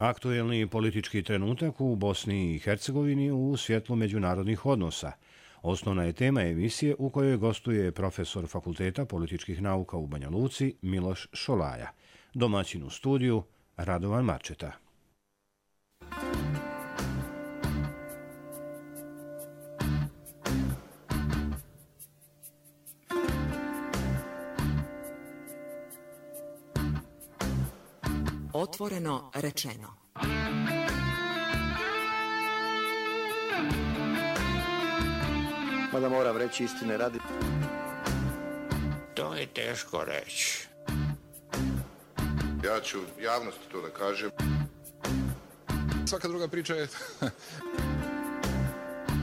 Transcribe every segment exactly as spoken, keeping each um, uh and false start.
Aktuelni politički trenutak u Bosni i Hercegovini u svjetlu međunarodnih odnosa. Osnovna je tema emisije u kojoj gostuje profesor Fakulteta političkih nauka u Banja Luci Miloš Šolaja. Domaćin u studiju Radovan Marčeta. Otvoreno rečeno. Mada moram reći istine radi. To je teško reći. Ja ću javnosti to da kažem. Svaka druga priča je...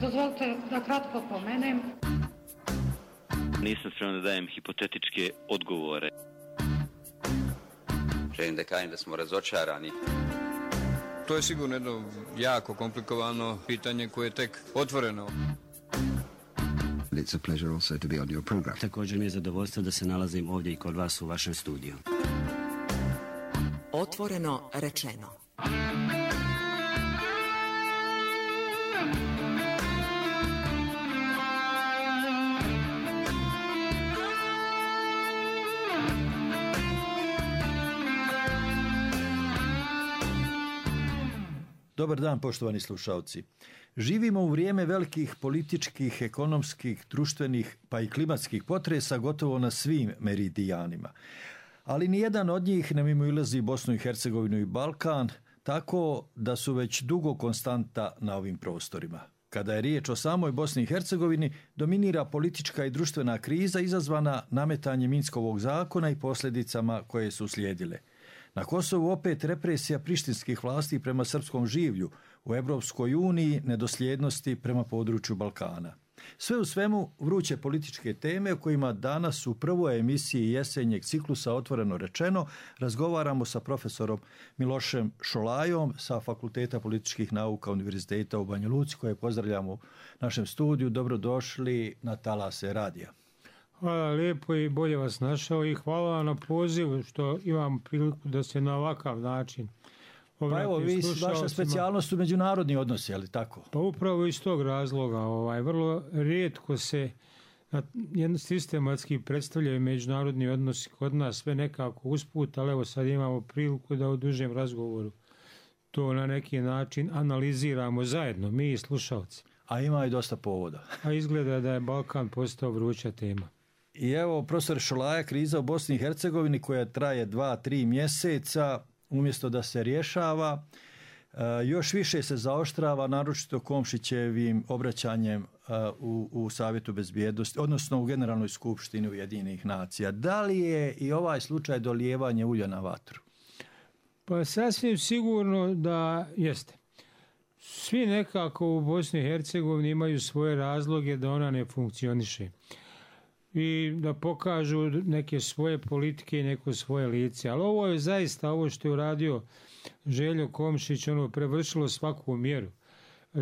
Dozvolite da kratko pomenem. Nisam spreman da dajem hipotetičke odgovore. Želim da kažem da smo razočarani. To je sigurno jedno jako komplikovano pitanje koje je tek otvoreno. It's a pleasure also to be on your program. Također mi je zadovoljstvo da se nalazim ovdje i kod vas u vašem studiju. Otvoreno rečeno. Dobar dan, poštovani slušalci. Živimo u vrijeme velikih političkih, ekonomskih, društvenih pa i klimatskih potresa gotovo na svim meridijanima. Ali nijedan od njih ne mimoilazi Bosnu i Hercegovinu i Balkan, tako da su već dugo konstanta na ovim prostorima. Kada je riječ o samoj Bosni i Hercegovini, dominira politička i društvena kriza izazvana nametanjem Minskovog zakona i posljedicama koje su slijedile. Na Kosovu opet represija prištinskih vlasti prema srpskom življu, u Evropskoj uniji nedosljednosti prema području Balkana. Sve u svemu vruće političke teme o kojima danas u prvoj emisiji jesenjeg ciklusa Otvoreno rečeno razgovaramo sa profesorom Milošem Šolajom sa Fakulteta političkih nauka Univerziteta u Banja Luci, koje pozdravljamo u našem studiju. Dobrodošli na talase radija. Hvala lijepo i bolje vas našao i hvala vam na pozivu što imam priliku da se na ovakav način pa evo, vi, vaša specijalnost su međunarodni odnosi, ali tako? Pa upravo iz tog razloga, ovaj, vrlo rijetko se jedno sistematski predstavljaju međunarodni odnosi kod nas, sve nekako usput, ali evo sad imamo priliku da u dužem razgovoru to na neki način analiziramo zajedno, mi i slušalci. A ima i dosta povoda. A izgleda da je Balkan postao vruća tema. I evo, profesor Šolaja, kriza u Bosni i Hercegovini koja traje dva, tri mjeseca, umjesto da se rješava, još više se zaoštrava, naročito Komšićevim obraćanjem u, u Savjetu bezbjednosti, odnosno u Generalnoj skupštini Ujedinjenih nacija. Da li je i ovaj slučaj dolijevanje ulja na vatru? Pa sasvim sigurno da jeste. Svi nekako u Bosni i Hercegovini imaju svoje razloge da ona ne funkcioniše i da pokažu neke svoje politike i neko svoje lice. Ali ovo je zaista, ovo što je uradio Željo Komšić, ono prevršilo svaku mjeru.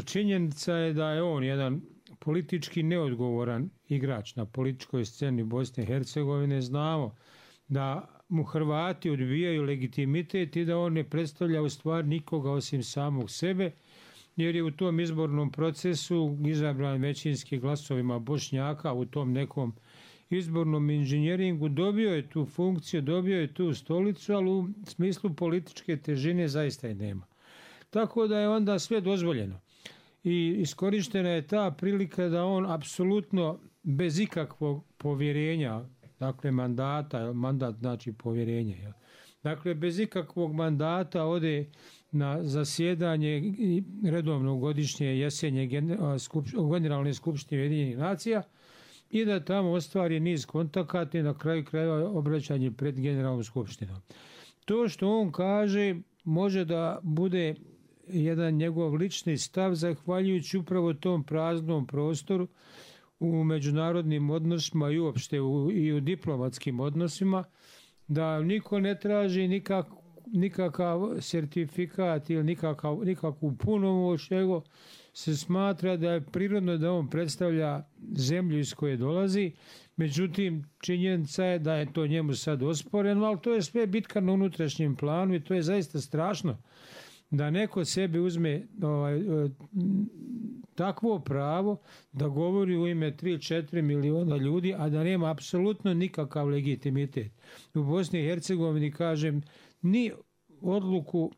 Činjenica je da je on jedan politički neodgovoran igrač na političkoj sceni Bosne i Hercegovine. Znamo da mu Hrvati odbijaju legitimitet i da on ne predstavlja u stvari nikoga osim samog sebe, jer je u tom izbornom procesu izabran većinski glasovima Bošnjaka u tom nekom izbornom inženjeringu, dobio je tu funkciju, dobio je tu stolicu, ali u smislu političke težine zaista je nema. Tako da je onda sve dozvoljeno. I iskorištena je ta prilika da on apsolutno bez ikakvog povjerenja, dakle mandata, mandat znači povjerenje, dakle bez ikakvog mandata ode na zasjedanje redovno godišnje jesenje Generalne skupštine Ujedinjenih nacija i da tamo ostvari niz kontakata i na kraju krajeva obraćanje pred Generalnom skupštinom. To što on kaže može da bude jedan njegov lični stav zahvaljujući upravo tom praznom prostoru u međunarodnim odnosima i uopšte u, i u diplomatskim odnosima, da niko ne traži nikak, nikakav sertifikat ili nikakav, nikakvu punomoć, nego se smatra da je prirodno da on predstavlja zemlju iz koje dolazi. Međutim, činjenica je da je to njemu sad osporeno, ali to je sve bitka na unutrašnjem planu i to je zaista strašno. da neko sebi uzme ovaj, takvo pravo da govori u ime tri do četiri miliona ljudi, a da nema apsolutno nikakav legitimitet. U Bosni i Hercegovini, kažem, ni odluku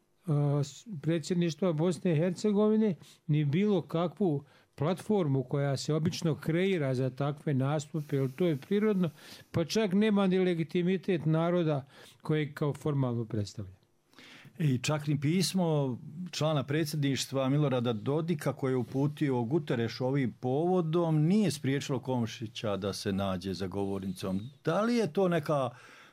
predsjedništva Bosne i Hercegovine, ni bilo kakvu platformu koja se obično kreira za takve nastupe, jer to je prirodno, pa čak nema ni legitimitet naroda koji kao formalno predstavlja. I čak ni pismo člana predsjedništva Milorada Dodika koje je uputio Guterres ovim povodom nije spriječilo Komšića da se nađe za govornicom. Da li je to neka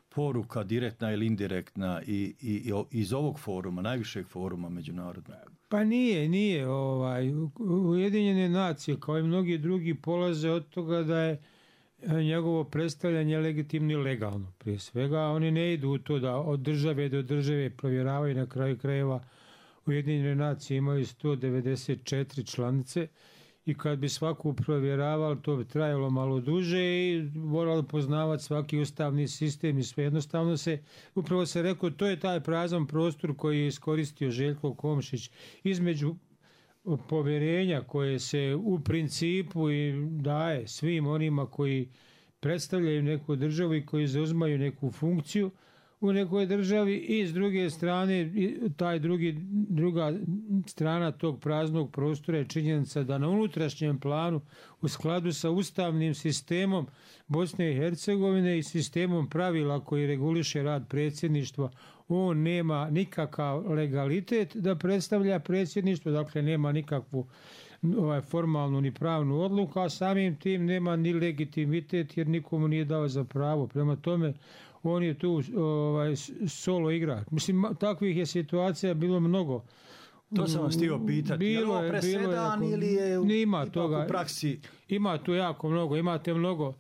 poruka direktna ili indirektna i, i, i iz ovog foruma, najvišeg foruma međunarodnog? Pa nije, nije. Ovaj, Ujedinjene nacije kao i mnogi drugi polaze od toga da je njegovo predstavljanje legitimno i legalno. Prije svega oni ne idu u to da od države do države provjeravaju, na kraju krajeva Ujedinjene nacije imaju sto devedeset četiri članice i kad bi svaku provjeravali to bi trajalo malo duže i moralo poznavati svaki ustavni sistem i sve jednostavno se, upravo se rekao, to je taj prazan prostor koji je iskoristio Željko Komšić između povjerenja koje se u principu i daje svim onima koji predstavljaju neku državu i koji zauzmaju neku funkciju u nekoj državi i s druge strane taj drugi, druga strana tog praznog prostora je činjenica da na unutrašnjem planu u skladu sa ustavnim sistemom Bosne i Hercegovine i sistemom pravila koji reguliše rad predsjedništva on nema nikakav legalitet da predstavlja predsjedništvo, dakle nema nikakvu ovaj, formalnu ni pravnu odluku, a samim tim nema ni legitimitet jer nikomu nije dao za pravo. Prema tome on je tu ovaj, solo igrač. Mislim, takvih je situacija bilo mnogo. To sam vas htio pitati. Je li ovo presedan ili je u, ima toga, u praksi? Ima tu jako mnogo. Imate mnogo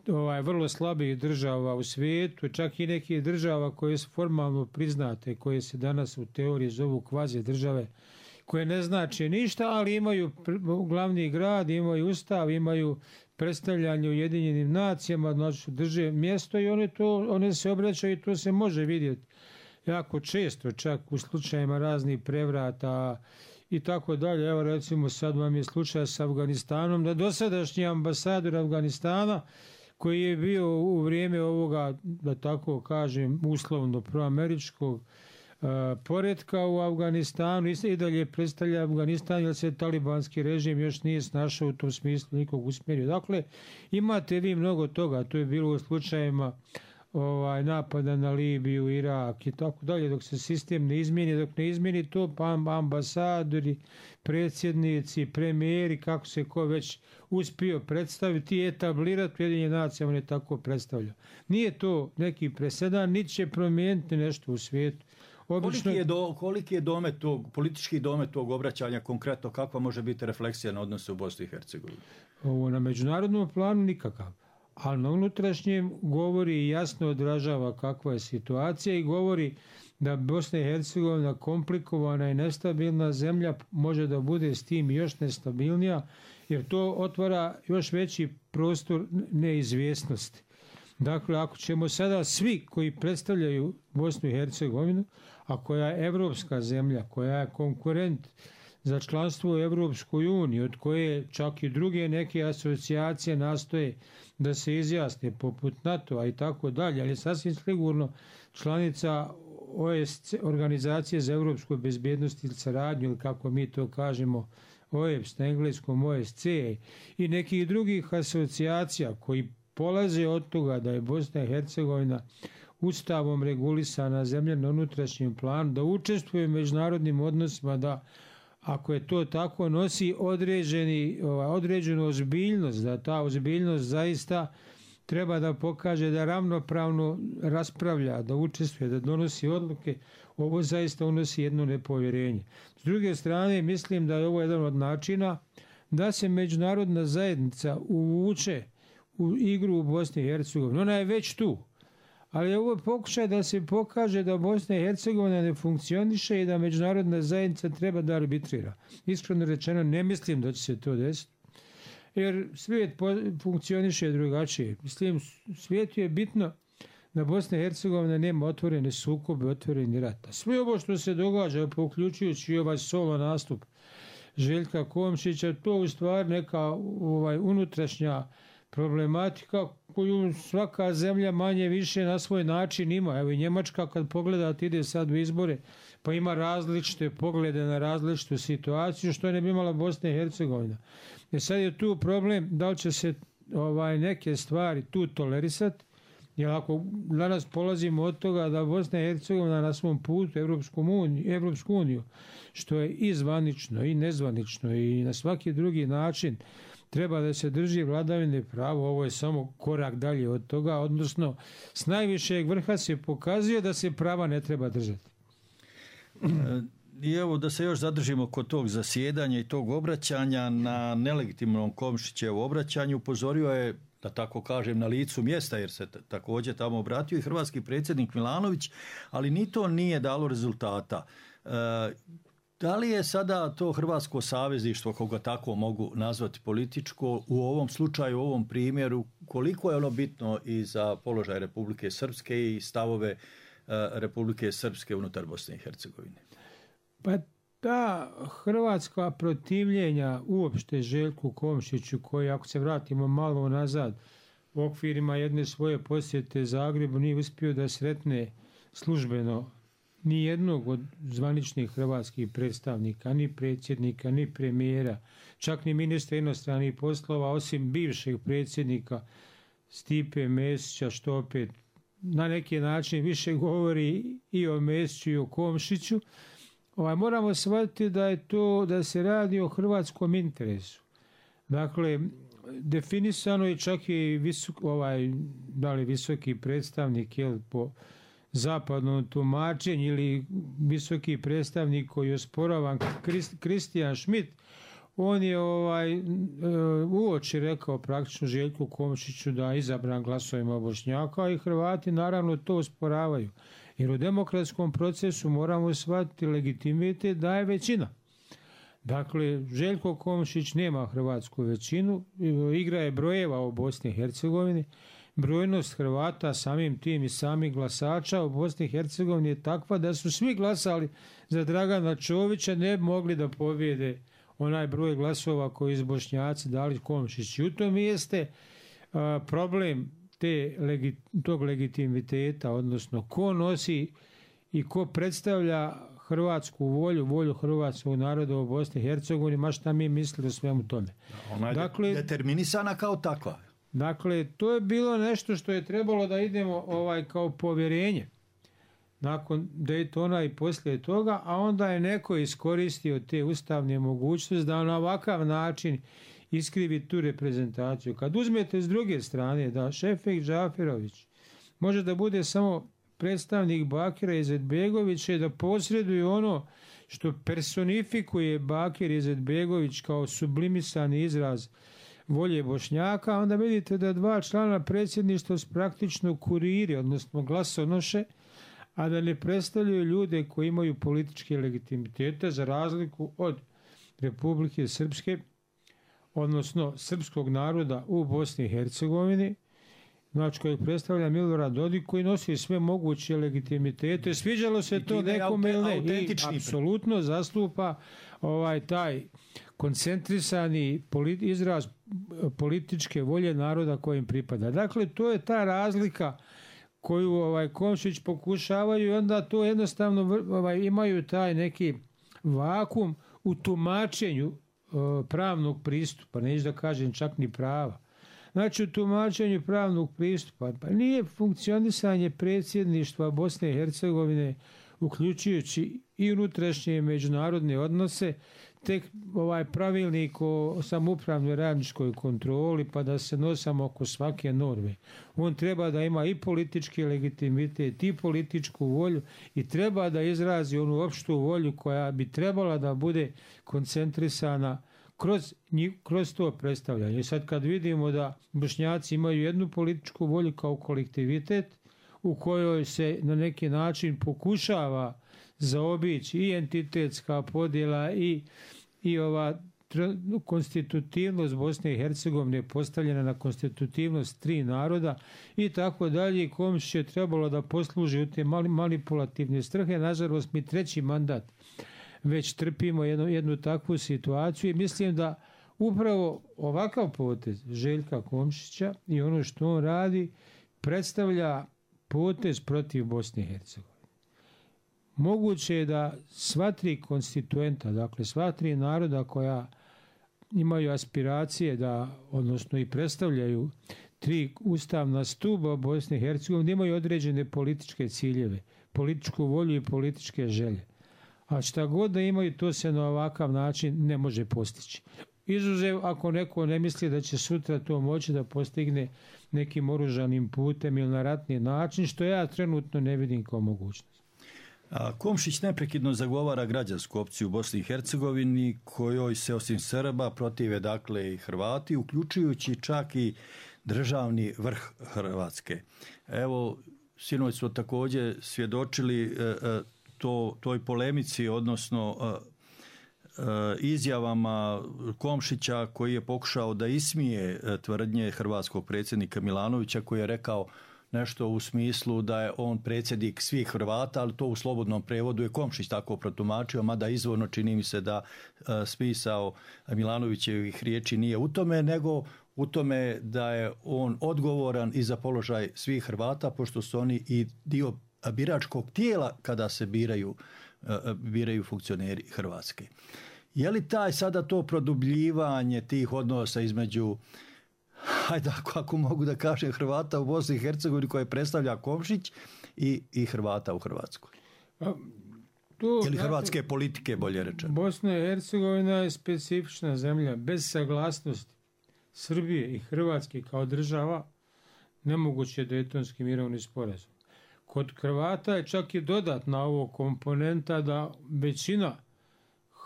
ovaj, vrlo slabih država u svijetu, čak i nekih država koje su formalno priznate, koje se danas u teoriji zovu kvazi države, koje ne znače ništa, ali imaju glavni grad, imaju ustav, imaju predstavljanje Ujedinjenim nacijama, znači drže mjesto i one, to, one se obraćaju i to se može vidjeti jako često, čak u slučajima raznih prevrata i tako dalje. Evo recimo sad vam je slučaj s Afganistanom, da dosadašnji ambasador Afganistana koji je bio u vrijeme ovoga, da tako kažem, uslovno proameričkog uh, poretka u Afganistanu i dalje predstavlja Afganistan jer se talibanski režim još nije snašao u tom smislu nikog usmjerio. Dakle, imate vi mnogo toga, to je bilo u slučajima ovaj, napada na Libiju, Irak i tako dalje, dok se sistem ne izmijeni, dok ne izmijeni to, pa ambasadori, predsjednici, premijeri, kako se ko već uspio predstaviti i etablirati, Ujedinjene nacije on je tako predstavlja. Nije to neki presedan, niti će promijeniti nešto u svijetu. Obično... Koliki je, do, koliki je domet tog, politički domet tog obraćanja konkretno, kakva može biti refleksija na odnose u Bosni i Hercegovini? Ovo, na međunarodnom planu nikakav. Ali na unutrašnjem govori i jasno odražava kakva je situacija i govori da Bosna i Hercegovina komplikovana i nestabilna zemlja može da bude s tim još nestabilnija jer to otvara još veći prostor neizvjesnosti. Dakle, ako ćemo sada svi koji predstavljaju Bosnu i Hercegovinu, a koja je evropska zemlja, koja je konkurent za članstvo u Evropskoj uniji, od koje čak i druge neke asocijacije nastoje da se izjasne poput NATO-a i tako dalje, ali sasvim sigurno članica O S C, Organizacije za evropsku bezbjednost ili saradnju, ili kako mi to kažemo, O E P S na engleskom O S C i nekih drugih asocijacija koji polaze od toga da je Bosna i Hercegovina ustavom regulisana zemlja na unutrašnjem planu, da učestvuje u međunarodnim odnosima, da ako je to tako nosi određeni, određenu ozbiljnost, da ta ozbiljnost zaista treba da pokaže da ravnopravno raspravlja, da učestvuje, da donosi odluke, ovo zaista unosi jedno nepovjerenje. S druge strane, mislim da je ovo jedan od načina da se međunarodna zajednica uvuče u igru u Bosni i Hercegovini. Ona je već tu, ali ovo je pokušaj da se pokaže da Bosna i Hercegovina ne funkcioniše i da međunarodna zajednica treba da arbitrira. Iskreno rečeno, ne mislim da će se to desiti, jer svijet funkcioniše drugačije. Mislim, svijetu je bitno da Bosna i Hercegovina nema otvorene sukobe, otvoreni rat. A sve ovo što se događa, uključujući ovaj solo nastup Željka Komšića, to u stvari neka ovaj, unutrašnja problematika koju svaka zemlja manje više na svoj način ima. Evo i Njemačka kad pogledate ide sad u izbore pa ima različite poglede na različitu situaciju što ne bi imala Bosna i Hercegovina. I sad je tu problem da li će se ovaj, neke stvari tu tolerisati, jer ako danas polazimo od toga da Bosna i Hercegovina na svom putu Evropsku uniju, Evropsku uniju što je i zvanično i nezvanično i na svaki drugi način treba da se drži vladavine prava, ovo je samo korak dalje od toga, odnosno s najvišeg vrha se pokazuje da se prava ne treba držati. I evo da se još zadržimo kod tog zasjedanja i tog obraćanja na nelegitimnom Komšićevu obraćanju, upozorio je, da tako kažem, na licu mjesta, jer se također tamo obratio i hrvatski predsjednik Milanović, ali ni to nije dalo rezultata. E, Da li je sada to hrvatsko savezništvo, koga tako mogu nazvati političko, u ovom slučaju, u ovom primjeru, koliko je ono bitno i za položaj Republike Srpske i stavove uh, Republike Srpske unutar Bosne i Hercegovine? Pa ta hrvatska protivljenja uopšte Željku Komšiću, koji ako se vratimo malo nazad u okvirima jedne svoje posjete Zagrebu nije uspio da sretne službeno ni jednog od zvaničnih hrvatskih predstavnika, ni predsjednika, ni premijera, čak ni ministra inostranih poslova, osim bivšeg predsjednika Stipe Mesića, što opet na neki način više govori i o Mesiću i o Komšiću. Ovaj, moramo shvatiti da je to, da se radi o hrvatskom interesu. Dakle, definisano je čak i visok, ovaj, da li visoki predstavnik, jel, po zapadnom tumačenju ili visoki predstavnik koji je osporavan Kristijan Schmidt, on je ovaj, uoči rekao praktično Željku Komšiću da je izabran glasovima Bošnjaka i Hrvati naravno to osporavaju. Jer u demokratskom procesu moramo shvatiti legitimitet da je većina. Dakle, Željko Komšić nema hrvatsku većinu, igra je brojeva u Bosni i Hercegovini. Brojnost Hrvata samim tim i samih glasača u Bosni i Hercegovini je takva da su svi glasali za Dragana Čovića, ne bi mogli da pobjede onaj broj glasova koji su Bošnjaci dali Komšić. I u tom jeste a, problem te, legi, tog legitimiteta, odnosno ko nosi i ko predstavlja hrvatsku volju, volju hrvatskog naroda u Bosni i Hercegovini, ma šta mi mislili o svemu tome. Ona je dakle, determinisana kao takva. Dakle, to je bilo nešto što je trebalo da idemo ovaj kao povjerenje nakon Daytona i poslije toga, a onda je neko iskoristio te ustavne mogućnosti da na ovakav način iskrivi tu reprezentaciju. Kad uzmete s druge strane da Šefik Džaferović može da bude samo predstavnik Bakira Izetbegovića i da posreduje ono što personifikuje Bakir Izetbegović kao sublimisani izraz volje Bošnjaka, onda vidite da dva člana predsjedništva su praktično kuriri, odnosno glasonoše, a da ne predstavljaju ljude koji imaju političke legitimitete za razliku od Republike Srpske, odnosno srpskog naroda u Bosni i Hercegovini, znači kojeg predstavlja Milorad Dodik, koji nosi sve moguće legitimitete. Sviđalo se to nekome ili ne. I apsolutno zastupa ovaj taj koncentrisani politi- izraz političke volje naroda kojim pripada. Dakle, to je ta razlika koju ovaj Komšić pokušavaju i onda to jednostavno ovaj, imaju taj neki vakum u tumačenju uh, pravnog pristupa, neću da kažem čak ni prava. Znači, u tumačenju pravnog pristupa, pa nije funkcionisanje predsjedništva Bosne i Hercegovine, uključujući i unutrašnje međunarodne odnose, tek ovaj pravilnik o samoupravnoj radničkoj kontroli, pa da se nosamo oko svake norme. On treba da ima i politički legitimitet, i političku volju, i treba da izrazi onu opštu volju koja bi trebala da bude koncentrisana kroz, kroz to predstavljanje. I sad kad vidimo da Bošnjaci imaju jednu političku volju kao kolektivitet, u kojoj se na neki način pokušava zaobići i entitetska podjela i, i ova konstitutivnost Bosne i Hercegovine postavljena na konstitutivnost tri naroda i tako dalje. Komšić je trebalo da posluži u te manipulativne strhe. Nažalost, mi treći mandat već trpimo jednu, jednu takvu situaciju i mislim da upravo ovakav potez Željka Komšića i ono što on radi predstavlja potez protiv Bosne i Hercegovine. Moguće je da sva tri konstituenta, dakle sva tri naroda koja imaju aspiracije da, odnosno i predstavljaju tri ustavna stuba Bosne i Hercegovine, imaju određene političke ciljeve, političku volju i političke želje. A šta god da imaju, to se na ovakav način ne može postići. Izuzev ako neko ne misli da će sutra to moći da postigne nekim oružanim putem ili na ratni način, što ja trenutno ne vidim kao mogućnost. A Komšić neprekidno zagovara građansku opciju u Bosni i Hercegovini, kojoj se osim Srba protive dakle i Hrvati, uključujući čak i državni vrh Hrvatske. Evo, sinoć smo također svjedočili e, e, to, toj polemici, odnosno e, izjavama Komšića koji je pokušao da ismije tvrdnje hrvatskog predsjednika Milanovića, koji je rekao nešto u smislu da je on predsjednik svih Hrvata, ali to u slobodnom prevodu je Komšić tako protumačio, mada izvorno čini mi se da smisao Milanovićevih riječi nije u tome, nego u tome da je on odgovoran i za položaj svih Hrvata, pošto su oni i dio biračkog tijela kada se biraju biraju funkcioneri Hrvatske. Je li taj sada to produbljivanje tih odnosa između, hajde ako, ako mogu da kažem, Hrvata u Bosni i Hercegovini koje predstavlja Komšić i, i Hrvata u Hrvatskoj? A, to, ili hrvatske dakle, politike, bolje rečeno? Bosna i Hercegovina je specifična zemlja. Bez saglasnosti Srbije i Hrvatske kao država nemoguće je Dejtonski mirovni sporazum. Kod Hrvata je čak i dodatna ovo komponenta da većina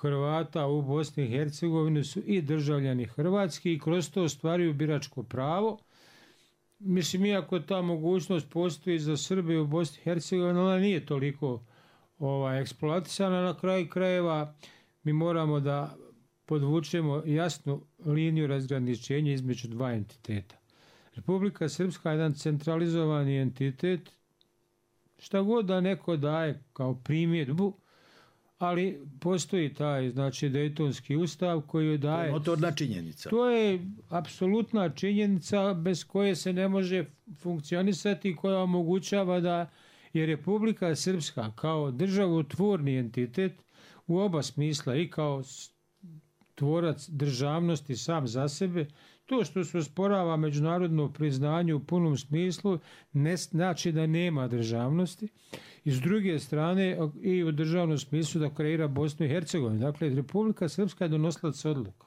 Hrvata u Bosni i Hercegovini su i državljani Hrvatski i kroz to ostvaruju biračko pravo. Mislim, iako ta mogućnost postoji za Srbe u Bosni i Hercegovini, ona nije toliko ovaj, eksploatisana. Na kraju krajeva mi moramo da podvučemo jasnu liniju razgraničenja između dva entiteta. Republika Srpska je jedan centralizovani entitet, šta god da neko daje kao primjedbu, ali postoji taj, znači, Dejtonski ustav koji daje... To je notorna činjenica. To je apsolutna činjenica bez koje se ne može funkcionisati, koja omogućava da je Republika Srpska kao državotvorni entitet u oba smisla, i kao tvorac državnosti sam za sebe, to što se osporava međunarodno priznanje u punom smislu ne znači da nema državnosti. I s druge strane i u državnom smislu da kreira Bosnu i Hercegovinu. Dakle, Republika Srpska je donosilac odluka.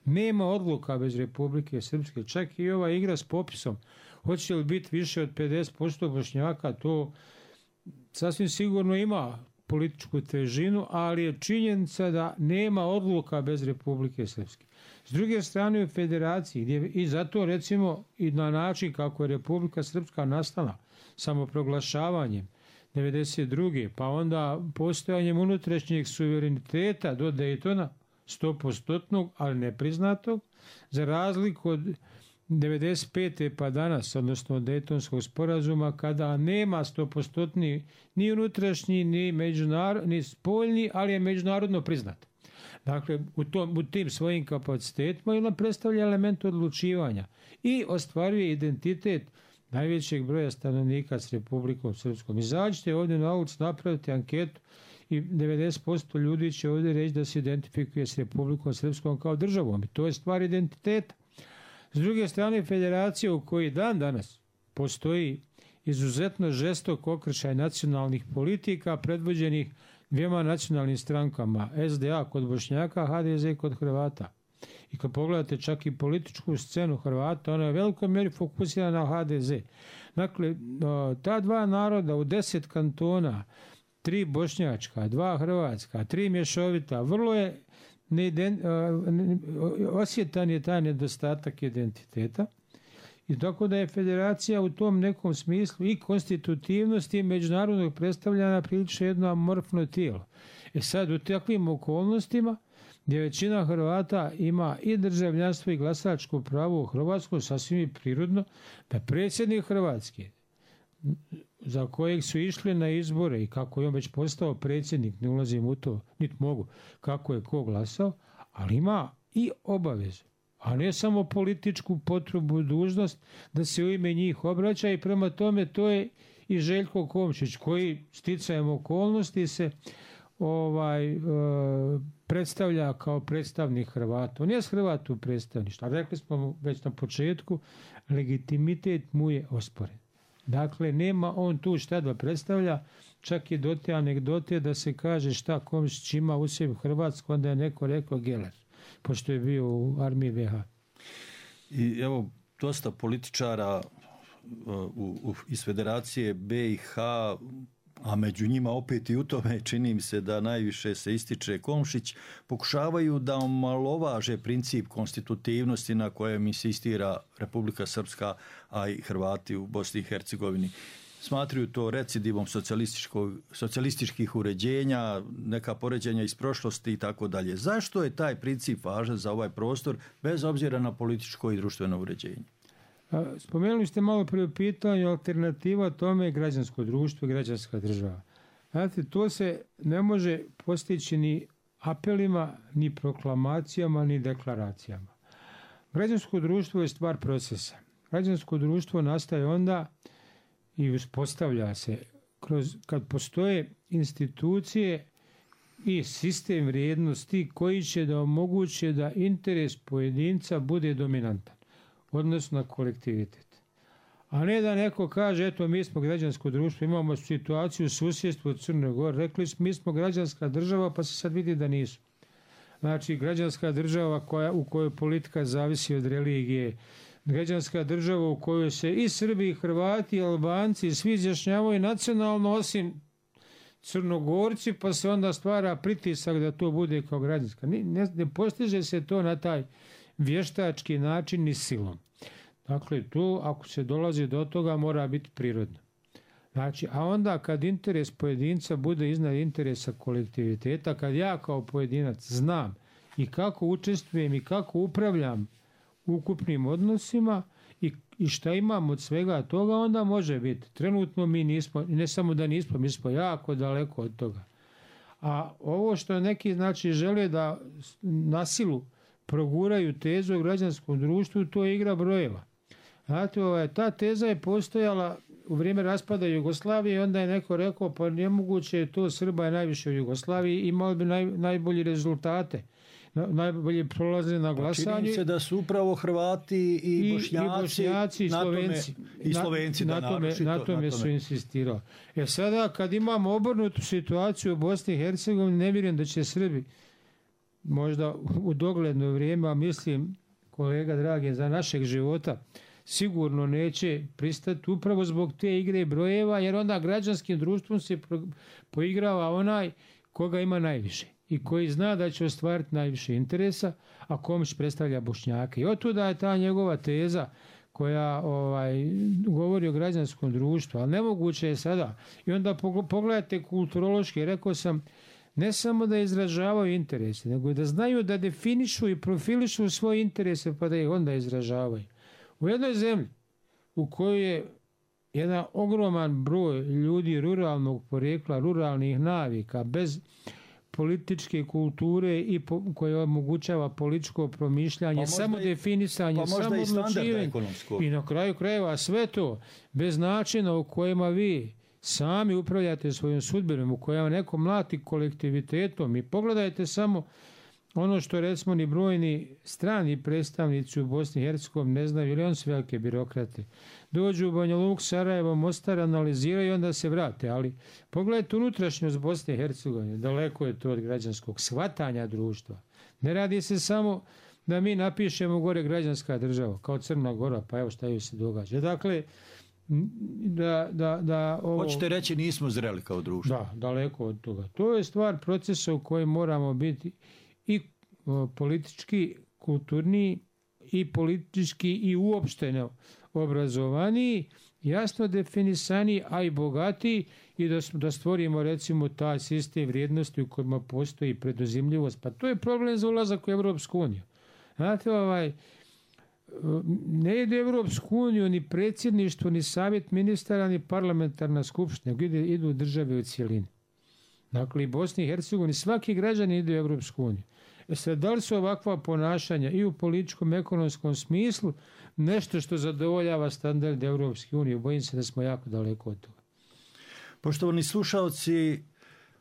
Nema odluka bez Republike Srpske. Čak i ova igra s popisom. Hoće li biti više od pedeset posto Bošnjaka, to sasvim sigurno ima političku težinu, ali je činjenica da nema odluka bez Republike Srpske. S druge strane u federaciji, gdje i zato recimo i na način kako je Republika Srpska nastala, samoproglašavanjem devedeset druge pa onda postojanjem unutrašnjeg suvereniteta do Dejtona, sto posto, ali nepriznatog, za razliku od devedeset pete pa danas, odnosno od Dejtonskog sporazuma, kada nema sto posto ni unutrašnji, ni, međunarod, ni spoljni, ali je međunarodno priznat. Dakle, u, tom, u tim svojim kapacitetima ona predstavlja element odlučivanja i ostvaruje identitet najvećeg broja stanovnika s Republikom Srpskom. Izađite ovdje na ulicu, napravite anketu i devedeset posto ljudi će ovdje reći da se identifikuje s Republikom Srpskom kao državom. I to je stvar identiteta. S druge strane, federacija u kojoj dan danas postoji izuzetno žestok okršaj nacionalnih politika predvođenih dvijema nacionalnim strankama, S D A kod Bošnjaka, H D Z kod Hrvata. I kad pogledate čak i političku scenu Hrvata, ona je u velikoj mjeri fokusirana na H D Z. Dakle, ta dva naroda u deset kantona, tri bošnjačka, dva hrvatska, tri mješovita, vrlo je neiden, osjetan je taj nedostatak identiteta. I tako da je federacija u tom nekom smislu i konstitutivnosti međunarodnog predstavljanja prilično jedno amorfno tijelo. E sad, u takvim okolnostima gdje većina Hrvata ima i državljanstvo i glasačko pravo u Hrvatskoj, sasvim je prirodno da predsjednik Hrvatske, za kojeg su išli na izbore i kako je on već postao predsjednik, ne ulazim u to, niti mogu, kako je ko glasao, ali ima i obavezu, a ne samo političku potrebu, dužnost da se u ime njih obraća i prema tome to je i Željko Komšić koji sticajem okolnosti se ovaj e, predstavlja kao predstavnik Hrvata. On je Hrvat u predstavništvu, a rekli smo već na početku, legitimitet mu je osporen. Dakle, nema on tu šta da predstavlja, čak i do te anegdote da se kaže šta Komšić ima u sebi Hrvatsku, onda je neko rekao Geller, pošto je bio u armiji ve ha. I evo, dosta političara u, u, iz Federacije be i ha, a među njima opet i u tome čini mi se da najviše se ističe Komšić, pokušavaju da omalovaže princip konstitutivnosti na kojem insistira Republika Srpska, a i Hrvati u Bosni i Hercegovini. Smatraju to recidivom socijalističkih uređenja, neka poređenja iz prošlosti i tako dalje. Zašto je taj princip važan za ovaj prostor, bez obzira na političko i društveno uređenje? Spomenuli ste malo prije u pitanju alternativa tome je građansko društvo i građanska država. Znate, to se ne može postići ni apelima, ni proklamacijama, ni deklaracijama. Građansko društvo je stvar procesa. Građansko društvo nastaje onda i uspostavlja se kroz, kad postoje institucije i sistem vrijednosti koji će da omoguće da interes pojedinca bude dominantan, odnosno na kolektivitet. A ne da neko kaže, eto, mi smo građansko društvo, imamo situaciju u susjedstvu od Crne Gore, rekli smo, mi smo građanska država, pa se sad vidi da nisu. Znači, građanska država koja, u kojoj politika zavisi od religije, građanska država u kojoj se i Srbi, i Hrvati, i Albanci svi izjašnjavaju nacionalno osim Crnogorci, pa se onda stvara pritisak da to bude kao građanska. Ne, ne, ne postiže se to na taj vještački način ni silom. Dakle, tu ako se dolazi do toga mora biti prirodno. Znači, a onda kad interes pojedinca bude iznad interesa kolektiviteta, kad ja kao pojedinac znam i kako učestvujem i kako upravljam ukupnim odnosima i, i šta imam od svega toga, onda može biti. Trenutno mi nismo, ne samo da nismo, mi smo jako daleko od toga. A ovo što neki znači žele da na silu proguraju tezu o građanskom društvu, to je igra brojeva. Znate, ovaj, ta teza je postojala u vrijeme raspada Jugoslavije i onda je neko rekao, pa nemoguće je to, Srba je najviše u Jugoslaviji, imali bi naj, najbolji rezultate. Najbolje prolaze na glasanje. Pa čini se da su upravo Hrvati i, i Bošnjaci, i, Bošnjaci, i Slovenci. I Slovenci na, da na tome, na tome su insistirali. E sada kad imamo obrnutu situaciju u Bosni i Hercegovini, ne vjerujem da će Srbi možda u dogledno vrijeme, a mislim, kolega dragi, za našeg života, sigurno neće pristati upravo zbog te igre brojeva, jer onda građanskim društvom se poigrava onaj koga ima najviše i koji zna da će ostvariti najviše interesa, a Komšić predstavlja Bošnjake. I otuda je ta njegova teza koja ovaj, govori o građanskom društvu, ali nemoguće je sada. I onda pogledajte kulturološki, rekao sam, ne samo da izražavaju interese, nego i da znaju da definišu i profilišu svoje interese pa da ih onda izražavaju. U jednoj zemlji u kojoj je jedan ogroman broj ljudi ruralnog porijekla, ruralnih navika, bez političke kulture i po, koje omogućava političko promišljanje, pa samo i, definisanje, pa samo odlučivanje i na kraju krajeva sve to bez načina u kojima vi sami upravljate svojom sudbinom, u kojima neko mlati kolektivitetom. I pogledajte samo ono što recimo ni brojni strani predstavnici u Bosni i Hercegovini ne znaju, ili on su velike birokrate. Dođu u Banja Luku, Sarajevo, Mostar, analiziraju i onda se vrate. Ali pogledajte unutrašnjost Bosne i Hercegovine, daleko je to od građanskog shvatanja društva. Ne radi se samo da mi napišemo gore građanska država, kao Crna Gora, pa evo šta joj se događa. Dakle, da, da, da ovo... Hoćete reći nismo zreli kao društvo. Da, daleko od toga. To je stvar procesa u kojem moramo biti i o, politički, kulturni i politički i uopšteno obrazovaniji, jasno definisani, a i bogatiji i da, da stvorimo recimo taj sistem vrijednosti u kojima postoji preduzimljivost. Pa to je problem za ulazak u Evropsku uniju. Znate, ovaj, ne ide Evropsku uniju ni predsjedništvo, ni savjet ministara, ni parlamentarna skupština, nego idu države u cijelini. Dakle, i Bosni i Hercegovini, svaki građanin ide u Evropsku uniju. E sad, da li su ovakva ponašanja i u političkom, ekonomskom smislu nešto što zadovoljava standard Evropske unije? Bojim se da smo jako daleko od toga. Poštovani slušalci,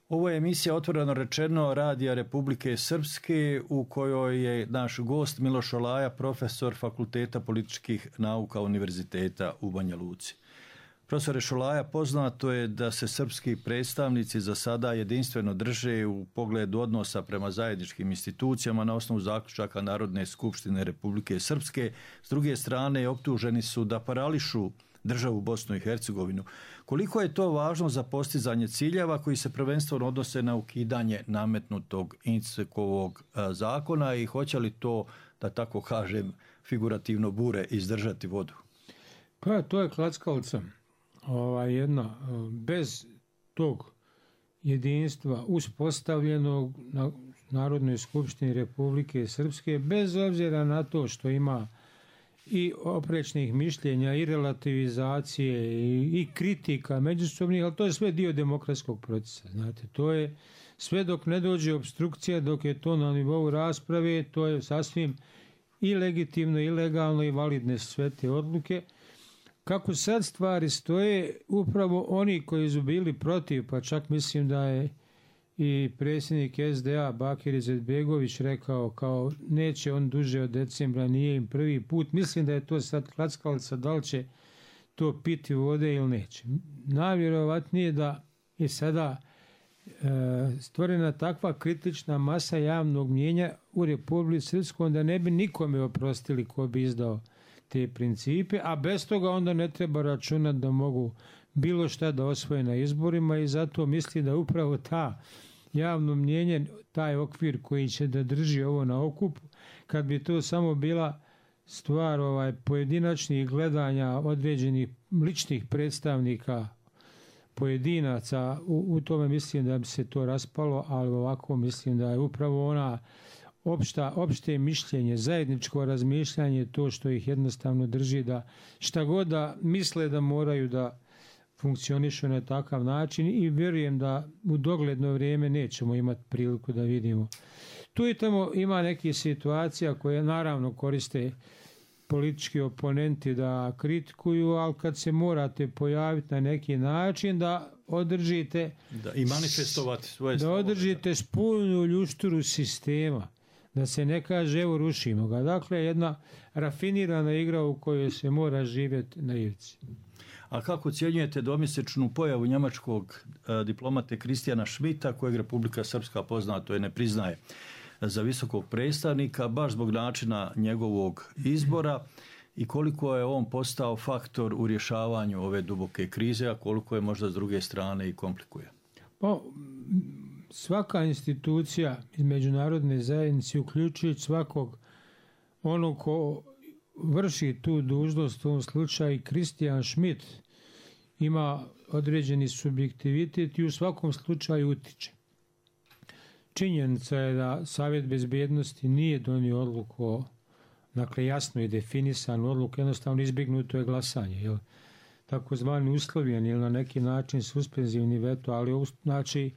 ovo je emisija Otvoreno rečeno Radija Republike Srpske u kojoj je naš gost Miloš Olaja, profesor Fakulteta političkih nauka Univerziteta u Banja Luci. Profesore Šolaja, poznato je da se srpski predstavnici za sada jedinstveno drže u pogledu odnosa prema zajedničkim institucijama na osnovu zaključaka Narodne skupštine Republike Srpske. S druge strane, optuženi su da parališu državu Bosnu i Hercegovinu. Koliko je to važno za postizanje ciljeva koji se prvenstveno odnose na ukidanje nametnutog Inckovog zakona i hoće li to, da tako kažem, figurativno bure izdržati vodu? Pa to je klackalica. Ova jedna, bez tog jedinstva uspostavljenog na Narodnoj skupštini Republike Srpske, bez obzira na to što ima i oprečnih mišljenja i relativizacije i, i kritika međusobnih, ali to je sve dio demokratskog procesa. Znate, to je sve dok ne dođe obstrukcija, dok je to na nivou rasprave, to je sasvim i legitimno, i legalno, i validne sve te odluke. Kako sad stvari stoje, upravo oni koji su bili protiv, pa čak mislim da je i predsjednik es de a Bakir Izetbegović rekao kao neće on duže od decembra, nije im prvi put. Mislim da je to sad klackalica, da li će to piti vode ili neće. Najvjerovatnije da je sada e, stvorena takva kritična masa javnog mnijenja u Republici Srpskoj da ne bi nikome oprostili ko bi izdao te principe, a bez toga onda ne treba računati da mogu bilo šta da osvoje na izborima i zato misli da upravo ta javno mnijenje, taj okvir koji će da drži ovo na okupu, kad bi to samo bila stvar ovaj, pojedinačnih gledanja određenih ličnih predstavnika pojedinaca, u, u tome mislim da bi se to raspalo, ali ovako mislim da je upravo ona opšta, opšte mišljenje, zajedničko razmišljanje to što ih jednostavno drži da šta god da misle da moraju da funkcionišu na takav način i vjerujem da u dogledno vrijeme nećemo imati priliku da vidimo. Tu i tamo ima nekih situacija koje naravno koriste politički oponenti da kritikuju, ali kad se morate pojaviti na neki način da održite da, i manifestovati svoje da održite spolnu ljušturu sistema, da se ne kaže evo rušimo ga. Dakle, jedna rafinirana igra u kojoj se mora živjeti na ivici. A kako ocjenjujete domjesečnu pojavu njemačkog e, diplomate Kristijana Schmidta, kojeg Republika Srpska poznato je ne priznaje za visokog predstavnika, baš zbog načina njegovog izbora i koliko je on postao faktor u rješavanju ove duboke krize, a koliko je možda s druge strane i komplikuje? Pa, svaka institucija iz međunarodne zajednice, uključujući svakog onog ko vrši tu dužnost, u ovom slučaju Kristijan Schmidt, ima određeni subjektivitet i u svakom slučaju utiče. Činjenica je da Savjet bezbjednosti nije donio odluku o, dakle jasno je definisan odluku, jednostavno izbjegnuto je glasanje, jel? Takozvani uslovljeni ili na neki način suspenzivni veto, ali znači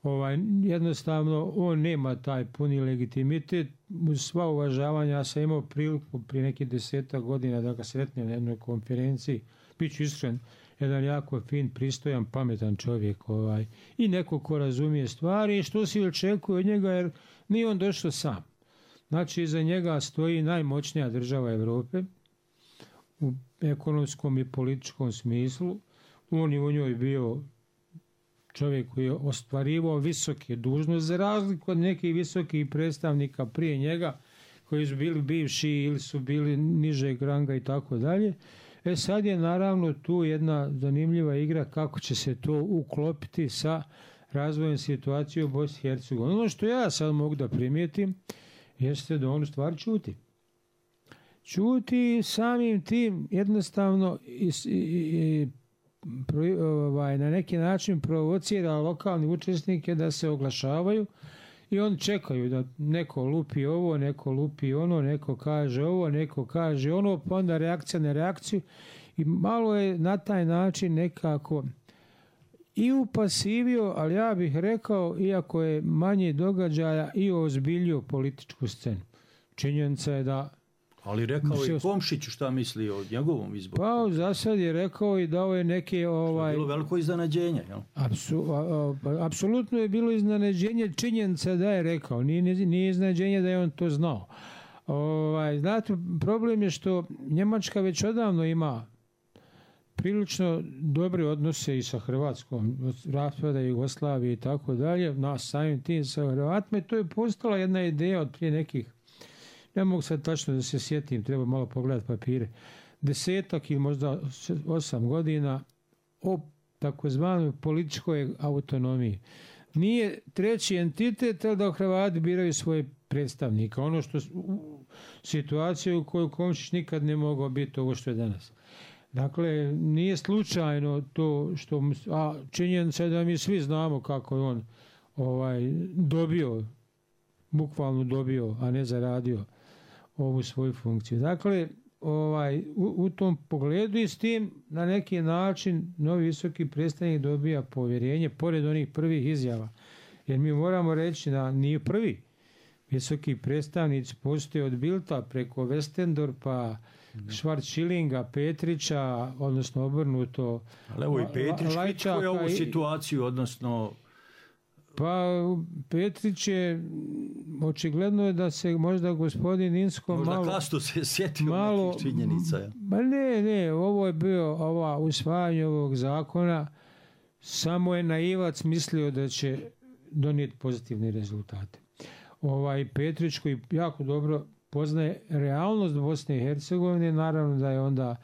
ovaj, jednostavno on nema taj puni legitimitet. Uz sva uvažavanja, ja sam imao priliku prije nekih deseta godina da ga sretnem na jednoj konferenciji, bit ću iskren, jedan jako fin, pristojan, pametan čovjek ovaj, i neko ko razumije stvari i što se očekuje od njega, jer nije on došao sam. Znači, iza njega stoji najmoćnija država Evrope u ekonomskom i političkom smislu. On je u njoj bio čovjek koji je ostvarivao visoke dužnosti, za razliku od nekih visokih predstavnika prije njega, koji su bili bivši ili su bili nižeg ranga i tako dalje. E sad je naravno tu jedna zanimljiva igra kako će se to uklopiti sa razvojem situacije u Bosni i Hercegovini. Ono što ja sad mogu da primijetim jeste da on u stvari čuti. Ćuti samim tim jednostavno i, i, i, pro, ovaj, na neki način provocira lokalni učesnike da se oglašavaju i oni čekaju da neko lupi ovo, neko lupi ono, neko kaže ovo, neko kaže ono, pa onda reakcija na reakciju i malo je na taj način nekako i upasivio, ali ja bih rekao, iako je manje događaja, i ozbiljio političku scenu. Činjenica je da... Ali rekao i Komšiću šta misli o njegovom izboru. Pa za sad je rekao i dao je neke... Ovaj, bilo veliko iznenađenje, jel? Apsu, a, a, apsolutno je bilo iznenađenje, činjenica da je rekao. Nije, nije iznenađenje da je on to znao. Ovaj, znate, problem je što Njemačka već odavno ima prilično dobre odnose i sa Hrvatskom, raspada Jugoslavije i tako dalje, nas samim tim sa Hrvatima, i to je postala jedna ideja od prije nekih, ne mogu sad tačno da se sjetim, treba malo pogledati papire, desetak ili možda osam godina o takozvanoj političkoj autonomiji. Nije treći entitet, ali da Hrvati biraju svoje predstavnika. Ono što situacija u kojoj Komšić nikad ne mogao biti ovo što je danas. Dakle, nije slučajno to što... A činjenica je da mi svi znamo kako je on ovaj, dobio, bukvalno dobio, a ne zaradio ovu svoju funkciju. Dakle, ovaj, u, u tom pogledu i s tim na neki način novi visoki predstavnik dobija povjerenje, pored onih prvih izjava. Jer mi moramo reći da nije prvi visoki predstavnici postoje od Bildta preko Westendorpa, Schwarzschillinga, Petrića, odnosno obrnuto. Ali evo i Petrić kritikuje ovu situaciju, odnosno... Pa Petrić je, očigledno je da se možda gospodin Insko možda malo... Možda kasno se sjetio malo, nekih činjenica. Ja. Ba ne, ne, ovo je bio, ova usvajanje ovog zakona, samo je naivac mislio da će donijeti pozitivne rezultate. Ovaj Petrić koji jako dobro poznaje realnost Bosne i Hercegovine, naravno da je onda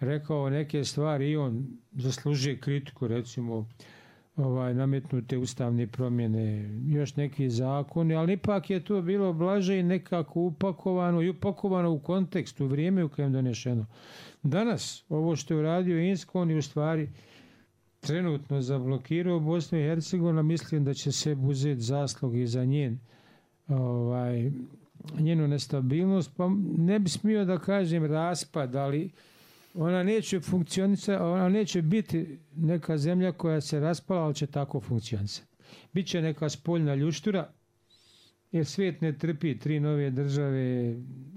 rekao neke stvari i on zaslužuje kritiku, recimo ovaj, nametnute ustavne promjene, još neki zakoni, ali ipak je to bilo blaže i nekako upakovano i upakovano u kontekstu, u vrijeme u kojem je donešeno. Danas, ovo što je uradio Insko, on je u stvari trenutno zablokirao Bosnu i Hercegovinu, mislim da će se uzeti zaslug i za njen ovaj, njenu nestabilnost, pa ne bi smio da kažem raspad, ali ona neće funkcionisati, ona neće biti neka zemlja koja se raspala, ali će tako funkcionisati. Biće neka spoljna ljuštura, jer svijet ne trpi tri nove države,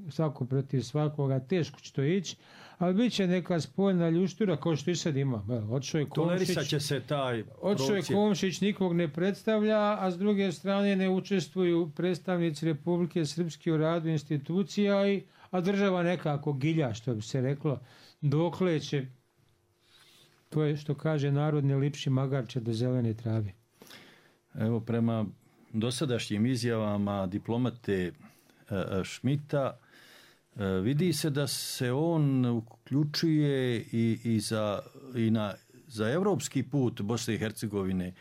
svako protiv svakoga, teško će to ići, ali bit će neka spoljna ljuštura kao što i sad ima. Otišao je Komšić, će se taj otišao je Komšić, nikog ne predstavlja, a s druge strane ne učestvuju predstavnici Republike Srpske u radu institucija, i, a država nekako gilja, što bi se reklo, dokle će, to je što kaže narod, ne lipši magarče do zelene trave. Evo, prema dosadašnjim izjavama diplomate Šmita, vidi se da se on uključuje i, i, za, i na, za evropski put Bosne i Hercegovine,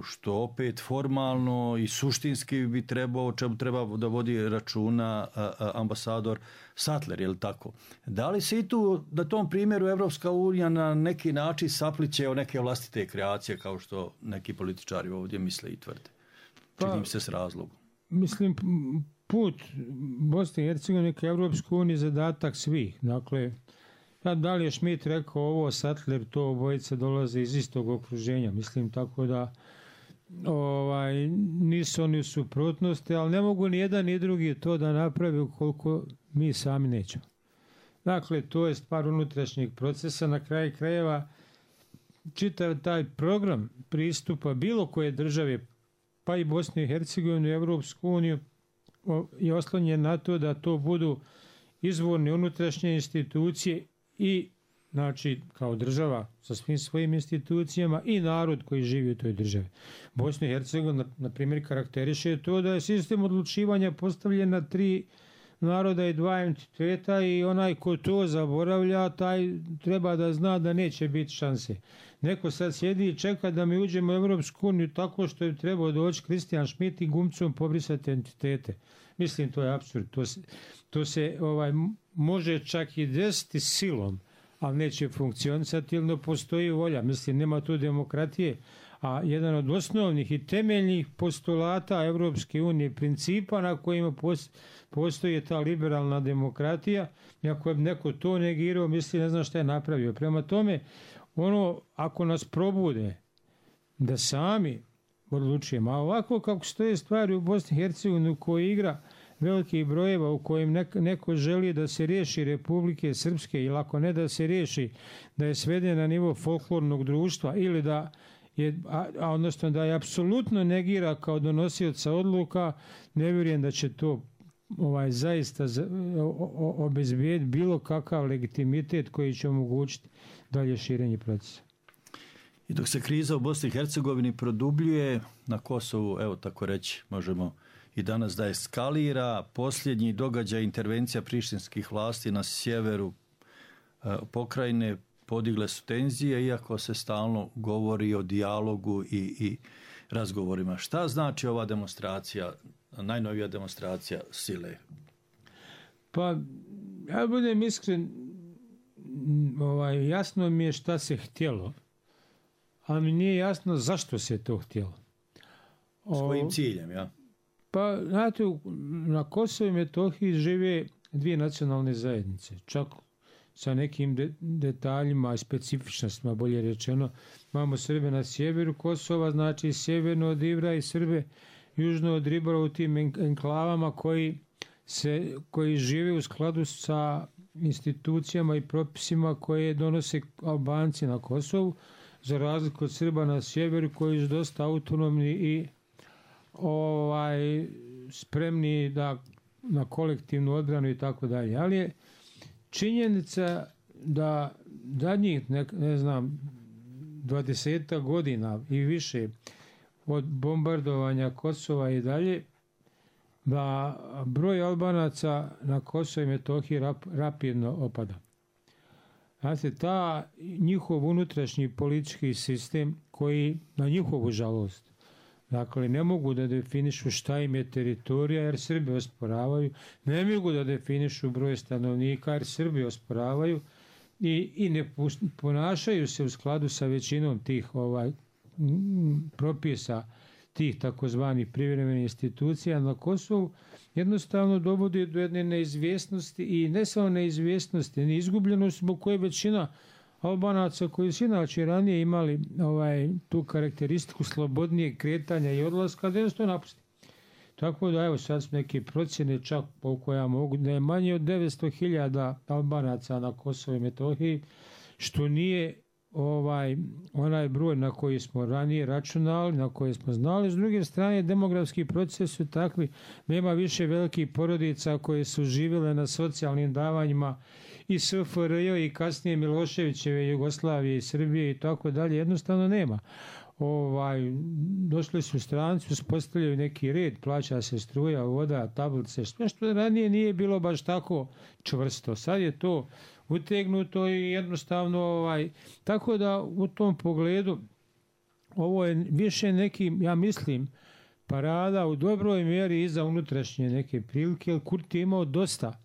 što opet formalno i suštinski bi trebao, o čemu treba da vodi računa ambasador Sattler, je li tako? Da li se i tu, na tom primjeru, Evropska unija na neki način sapliće o neke vlastite kreacije, kao što neki političari ovdje misle i tvrde? Činim se s razlogom. Mislim, put Bosne i Hercegovine ka Evropskoj uniji je zadatak svih. Dakle, da li je Schmidt rekao ovo, Sattler, to obojica dolaze iz istog okruženja. Mislim, tako da ovaj, nisu oni u suprotnosti, ali ne mogu ni jedan ni drugi to da napravi ukoliko mi sami nećemo. Dakle, to je stvar unutrašnjeg procesa. Na kraju krajeva čitav taj program pristupa bilo koje države, pa i Bosne i Hercegovine u Evropsku uniju, je oslonjen na to da to budu izvorne unutrašnje institucije i, znači, kao država sa svim svojim institucijama i narod koji živi u toj državi. Bosna i Hercegovina, na primjer, karakteriše to da je sistem odlučivanja postavljen na tri naroda i dva entiteta i onaj ko to zaboravlja, taj treba da zna da neće biti šanse. Neko sad sjedi i čeka da mi uđemo u Evropsku uniju tako što je trebao doći Kristijan Šmit i gumcom pobrisati entitete. Mislim, to je apsurd. To se, to se ovaj, može čak i desiti silom, ali neće funkcionisati ili ne postoji volja. Mislim, nema tu demokratije. A jedan od osnovnih i temeljnih postulata Evropske unije, principa na kojima postoji ta liberalna demokratija, i ako je neko to negirao, misli ne znam šta je napravio. Prema tome, ono, ako nas probude da sami odlučujemo, a ovako kako stoje stvari u Bosni i Hercegovini, u kojoj igra velikih brojeva, u kojim neko želi da se riješi Republike Srpske, ili ako ne da se riješi, da je sveden na nivo folklornog društva, ili da je, a, a odnosno da je apsolutno negira kao donosioca odluka, ne vjerujem da će to ovaj zaista obezbijediti bilo kakav legitimitet koji će omogućiti dalje širenje procesa. I dok se kriza u Bosni i Hercegovini produbljuje, na Kosovu, evo tako reći, možemo i danas da eskalira, posljednji događaj intervencija prištinskih vlasti na sjeveru e, pokrajine podigle su tenzije, iako se stalno govori o dijalogu i, i razgovorima. Šta znači ova demonstracija, najnovija demonstracija sile? Pa, ja budem iskren, ovaj, jasno mi je šta se htjelo, ali mi nije jasno zašto se to htjelo. Svojim o, ciljem, ja? Pa, znate, na Kosovu i Metohiji žive dvije nacionalne zajednice, čak sa nekim de, detaljima i specifičnostima, bolje rečeno. Imamo Srbe na sjeveru Kosova, znači sjeverno od Ivra i Srbe južno od Ribara u tim enklavama koji, se, koji žive u skladu sa institucijama i propisima koje donose Albanci na Kosovu, za razliku od Srba na sjeveru koji su dosta autonomni i ovaj, spremni da, na kolektivnu odbranu i tako dalje. Ali je činjenica da zadnjih, ne, ne znam, dvadesetak godina i više od bombardovanja Kosova i dalje, da broj Albanaca na Kosovu i Metohiji rap, rapidno opada. Znate, ta njihov unutrašnji politički sistem koji, na njihovu žalost, dakle, ne mogu da definišu šta im je teritorija jer Srbi osporavaju, ne mogu da definišu broj stanovnika jer Srbi osporavaju i, i ne ponašaju se u skladu sa većinom tih ovaj, propisa tih takozvanih privremenih institucija na Kosovu, jednostavno dovodi do jedne neizvjesnosti i ne samo neizvjesnosti, ni izgubljenosti zbog koje većina Albanaca koji su inače ranije imali ovaj, tu karakteristiku slobodnijeg kretanja i odlaska, da jednostavno napusti. Tako da evo sad su neke procjene čak koliko ja mogu, da je manje od devetsto hiljada Albanaca na Kosovu i Metohiji, što nije ovaj onaj broj na koji smo ranije računali, na koji smo znali. S druge strane, demografski proces su takvi, nema više velikih porodica koje su živjele na socijalnim davanjima i S F R J i kasnije Miloševićeve, Jugoslavije i Srbije i tako dalje, jednostavno nema. Ovaj, došli su stranci, uspostavljaju neki red, plaća se struja, voda, tablice, sve što ranije nije bilo baš tako čvrsto. Sad je to utegnuto i jednostavno, ovaj, tako da u tom pogledu ovo je više neki, ja mislim, parada u dobroj mjeri i za unutrašnje neke prilike, jer Kurti je imao dosta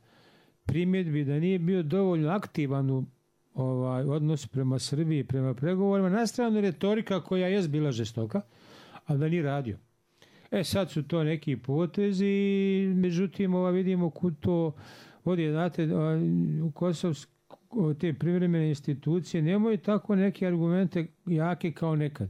primjedbi da nije bio dovoljno aktivan u ovaj, odnos prema Srbiji, prema pregovorima, na stranu retorika koja je bila žestoka, ali da nije radio. E sad su to neki potezi, međutim ova vidimo kud to vodi, znate, u Kosovsku te privremene institucije nemaju tako neke argumente jake kao nekad.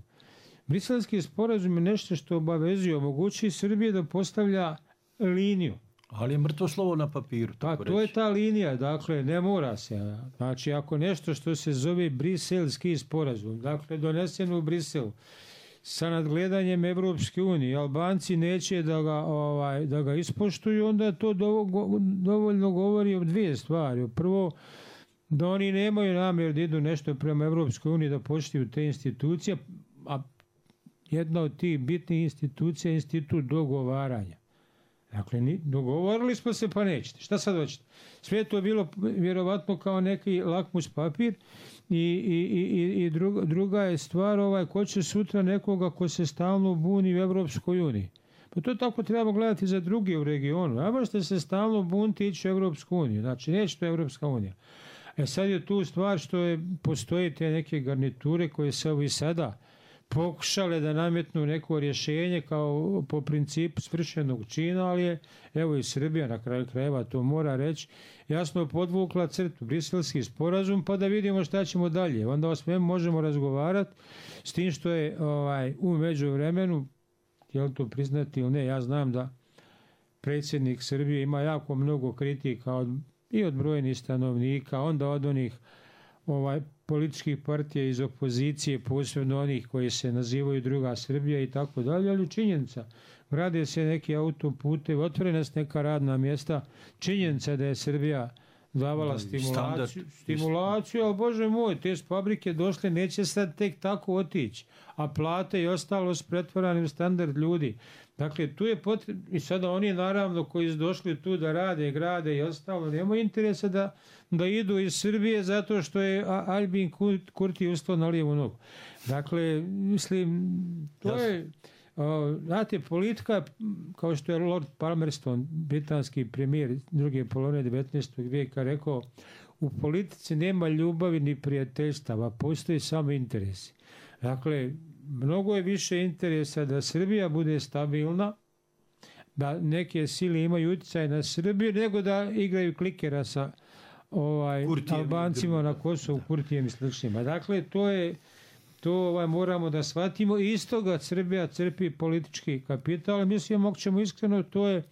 Briselski sporazum je nešto što obavezuje, omogući Srbije da postavlja liniju. Ali je mrtvo slovo na papiru. Pa to je ta linija, dakle ne mora se. Znači ako nešto što se zove Briselski sporazum, dakle donesen u Briselu, sa nadgledanjem Evropske unije, Albanci neće da ga, ovaj, da ga ispoštuju, onda to dovoljno govori o dvije stvari. Prvo, da oni nemaju namjer da idu nešto prema Evropskoj uniji da poštuju te institucije, a jedna od tih bitnih institucija je institut dogovaranja. Dakle, ni, dogovorili smo se pa nećete. Šta sad hoćete? Sve je to bilo vjerovatno kao neki lakmus papir i, i, i, i druga, druga je stvar ovaj, ko će sutra nekoga ko se stalno buni u Evropskoj uniji. Pa to tako treba gledati za druge u regionu. A možete se stalno buniti ići u Evropsku uniju. Znači, neće to Evropska unija. E sad je tu stvar što je, postoje te neke garniture koje se ovi sada pokušale da nametnu neko rješenje kao po principu svršenog čina, ali je, evo i Srbija na kraju krajeva to mora reći, jasno podvukla crtu, briselski sporazum, pa da vidimo šta ćemo dalje. Onda o svemu možemo razgovarati s tim što je ovaj, u međuvremenu, je li to priznati ili ne, ja znam da predsjednik Srbije ima jako mnogo kritika od, i od brojnih stanovnika, onda od onih ovaj, političkih partija iz opozicije, posebno onih koji se nazivaju druga Srbija i tako dalje, ali činjenica, grade se neki autoputevi, otvorena su neka radna mjesta, činjenica da je Srbija davala stimulaciju, stimulaciju, ali Bože moj, te fabrike došle, neće sad tek tako otići, a plate i ostalo su pretvorani u standard ljudi. Dakle, tu je potrebno, i sada oni naravno koji su došli tu da rade, grade i ostalo, nema interesa da, da idu iz Srbije zato što je Albin Kurti ustao na lijevu nogu. Dakle, mislim, to je, o, znate, politika, kao što je Lord Palmerston, britanski premijer druge polovine devetnaestog vijeka rekao, u politici nema ljubavi ni prijateljstava, postoji samo interesi. Dakle, mnogo je više interesa da Srbija bude stabilna, da neke sile imaju utjecaj na Srbiju, nego da igraju klikera sa ovaj, Albancima na Kosovu, Kurtijem i sličnima. Dakle, to je, to ovaj, moramo da shvatimo. I iz toga Srbija crpi politički kapital. Mislim, ako ćemo iskreno, to je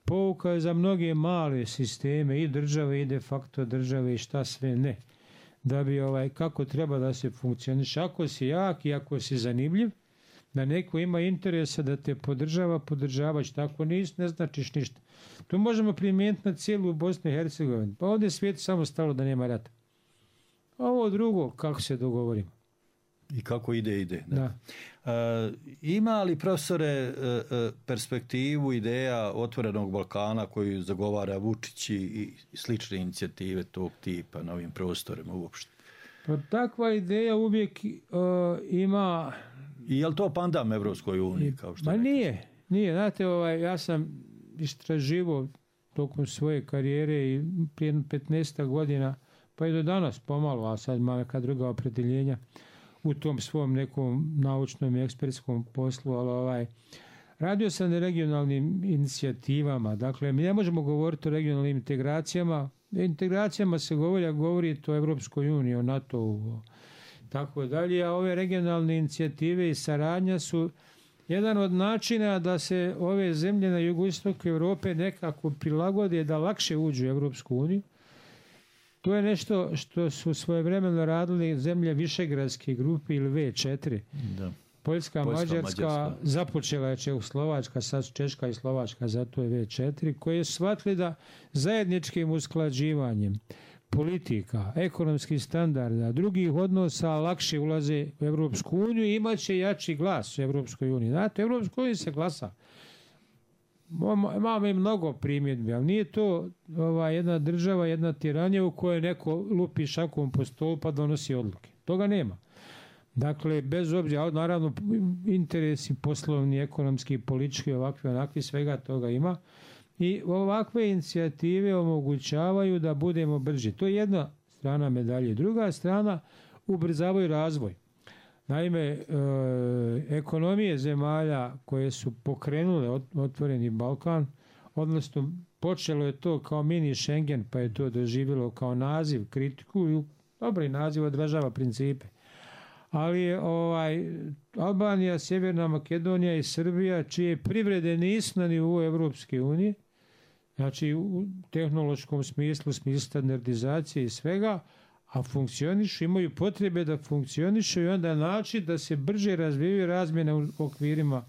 pouka za mnoge male sisteme i države i de facto države i šta sve ne. Da bi ovaj, kako treba da se funkcioniše. Ako si jak i ako si zanimljiv, da neko ima interesa da te podržava, podržavaš. Tako nis, ne značiš ništa. To možemo primijeniti na cijelu Bosnu i Hercegovinu. Pa ovdje je svijet samo stalo da nema rata. A ovo drugo, kako se dogovorimo. I kako ide, ide. Da. Da. E, ima li, profesore, e, e, perspektivu, ideja otvorenog Balkana koju zagovara Vučić i slične inicijative tog tipa na ovim prostorima uopšte? Pa takva ideja uvijek uh, ima... I je li to pandam Evropskoj uniji? Kao što Ma nije, nije. Znate, ovaj, ja sam istraživao tokom svoje karijere i prije petnaest godina, pa i do danas pomalo, a sad ima neka druga opredeljenja u tom svom nekom naučnom i ekspertskom poslu, ali ovaj, radio sam na regionalnim inicijativama. Dakle, mi ne možemo govoriti o regionalnim integracijama. Integracijama se govori, a govori o Evropskoj uniji, o NATO-u, tako dalje, a ove regionalne inicijative i saradnja su jedan od načina da se ove zemlje na jugoistoku Europe nekako prilagode da lakše uđu u Evropsku uniju. To je nešto što su svojevremeno radili zemlje Višegradske grupe ili ve četiri. Da. Poljska, Poljska Mađarska, Mađarska, započela je Čehoslovačka, sad Češka i Slovačka, zato je ve četiri, koje su shvatili da zajedničkim usklađivanjem politika, ekonomskih standarda, drugih odnosa lakše ulaze u Evropsku uniju i imat će jači glas u Evropskoj uniji. Znate, u Evropskoj uniji se glasa. Imamo i mnogo primjedbi, ali nije to ova, jedna država, jedna tiranija u kojoj neko lupi šakom po stolu pa donosi odluke. Toga nema. Dakle, bez obzira, naravno, interesi poslovni, ekonomski, politički, ovakvi, onakvi, svega toga ima. I ovakve inicijative omogućavaju da budemo brži. To je jedna strana medalje. Druga strana, ubrzavaju razvoj. Naime, e, ekonomije zemalja koje su pokrenule otvoreni Balkan, odnosno počelo je to kao mini Schengen, pa je to doživjelo kao naziv, kritiku i dobri naziv odražava principe. Ali ovaj, Albanija, Sjeverna Makedonija i Srbija, čije privrede nisu na nivou Evropske unije, znači u tehnološkom smislu, smislu standardizacije i svega, a funkcionišu, imaju potrebe da funkcionišu i onda način da se brže razvijaju razmjene u okvirima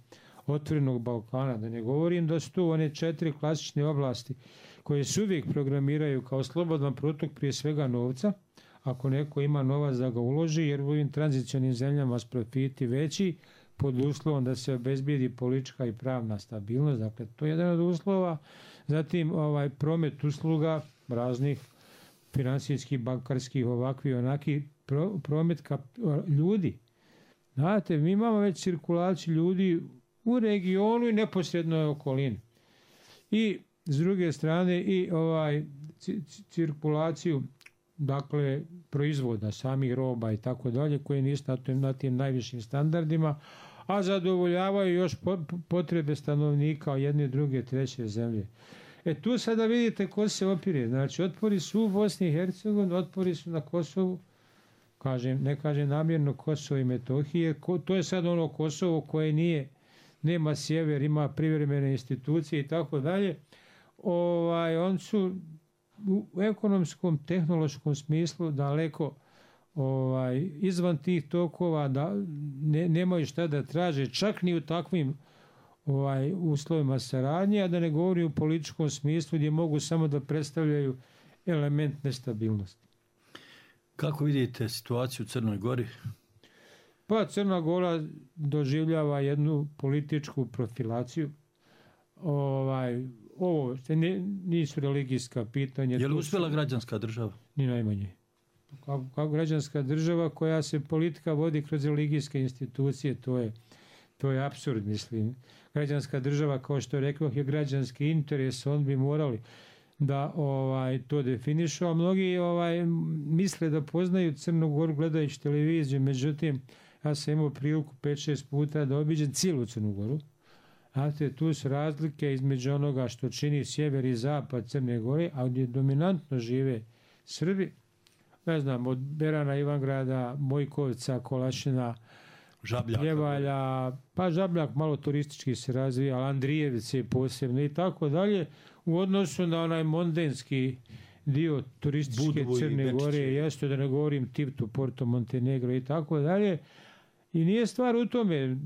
otvorenog Balkana. Da ne govorim da su tu one četiri klasične oblasti koje se uvijek programiraju kao slobodan protok prije svega novca, ako neko ima novac da ga uloži, jer u ovim tranzicionim zemljama s profiti veći, pod uslovom da se obezbijedi politička i pravna stabilnost, dakle to je jedan od uslova. Zatim ovaj promet usluga raznih finansijskih, bankarskih, ovakvi, onaki pro, promet kap, ljudi. Znate, mi imamo već cirkulaciju ljudi u regionu i neposrednoj okolini. I s druge strane i ovaj cirkulaciju, dakle proizvoda, samih roba i tako dalje, koje nisu na tim, na tim najvišim standardima, a zadovoljavaju još potrebe stanovnika jedne, druge, treće zemlje. E tu sada vidite ko se opire. Znači, otpori su u Bosni i Hercegovini, otpori su na Kosovu, kažem, ne kažem namjerno Kosovo i Metohije, to je sad ono Kosovo koje nije, nema sjever, ima privremene institucije i tako dalje. Ovaj, on su u ekonomskom, tehnološkom smislu daleko ovaj, izvan tih tokova, da ne, nemaju šta da traže, čak ni u takvim ovaj, uslovima saradnje, a da ne govori u političkom smislu gdje mogu samo da predstavljaju element nestabilnosti. Kako vidite situaciju u Crnoj Gori? Pa Crna Gora doživljava jednu političku profilaciju. Ovaj, ovo ne, nisu religijska pitanja. Je li uspjela građanska država? Ni najmanje. Kao, kao građanska država koja se politika vodi kroz religijske institucije, to je, to je apsurd, mislim. Građanska država, kao što rekao, je građanski interes, on bi morali da ovaj to definišu, a mnogi ovaj misle da poznaju Crnu Goru gledajući televiziju, međutim ja sam imao priliku pet šest puta da obiđem cijelu Crnu Goru. Znate, tu su razlike između onoga što čini sjever i zapad Crne Gore, a gdje dominantno žive Srbi, ne znam, od Berana, Ivangrada, Mojkovca, Kolašina, Žabljaka, Ljevalja, pa Žabljak malo turistički se razvija, Andrijevice posebno i tako dalje, u odnosu na onaj mondenski dio turističke Budovu Crne Gore, jeste, da ne govorim Tivtu, Porto Montenegro i tako dalje. I nije stvar u tome,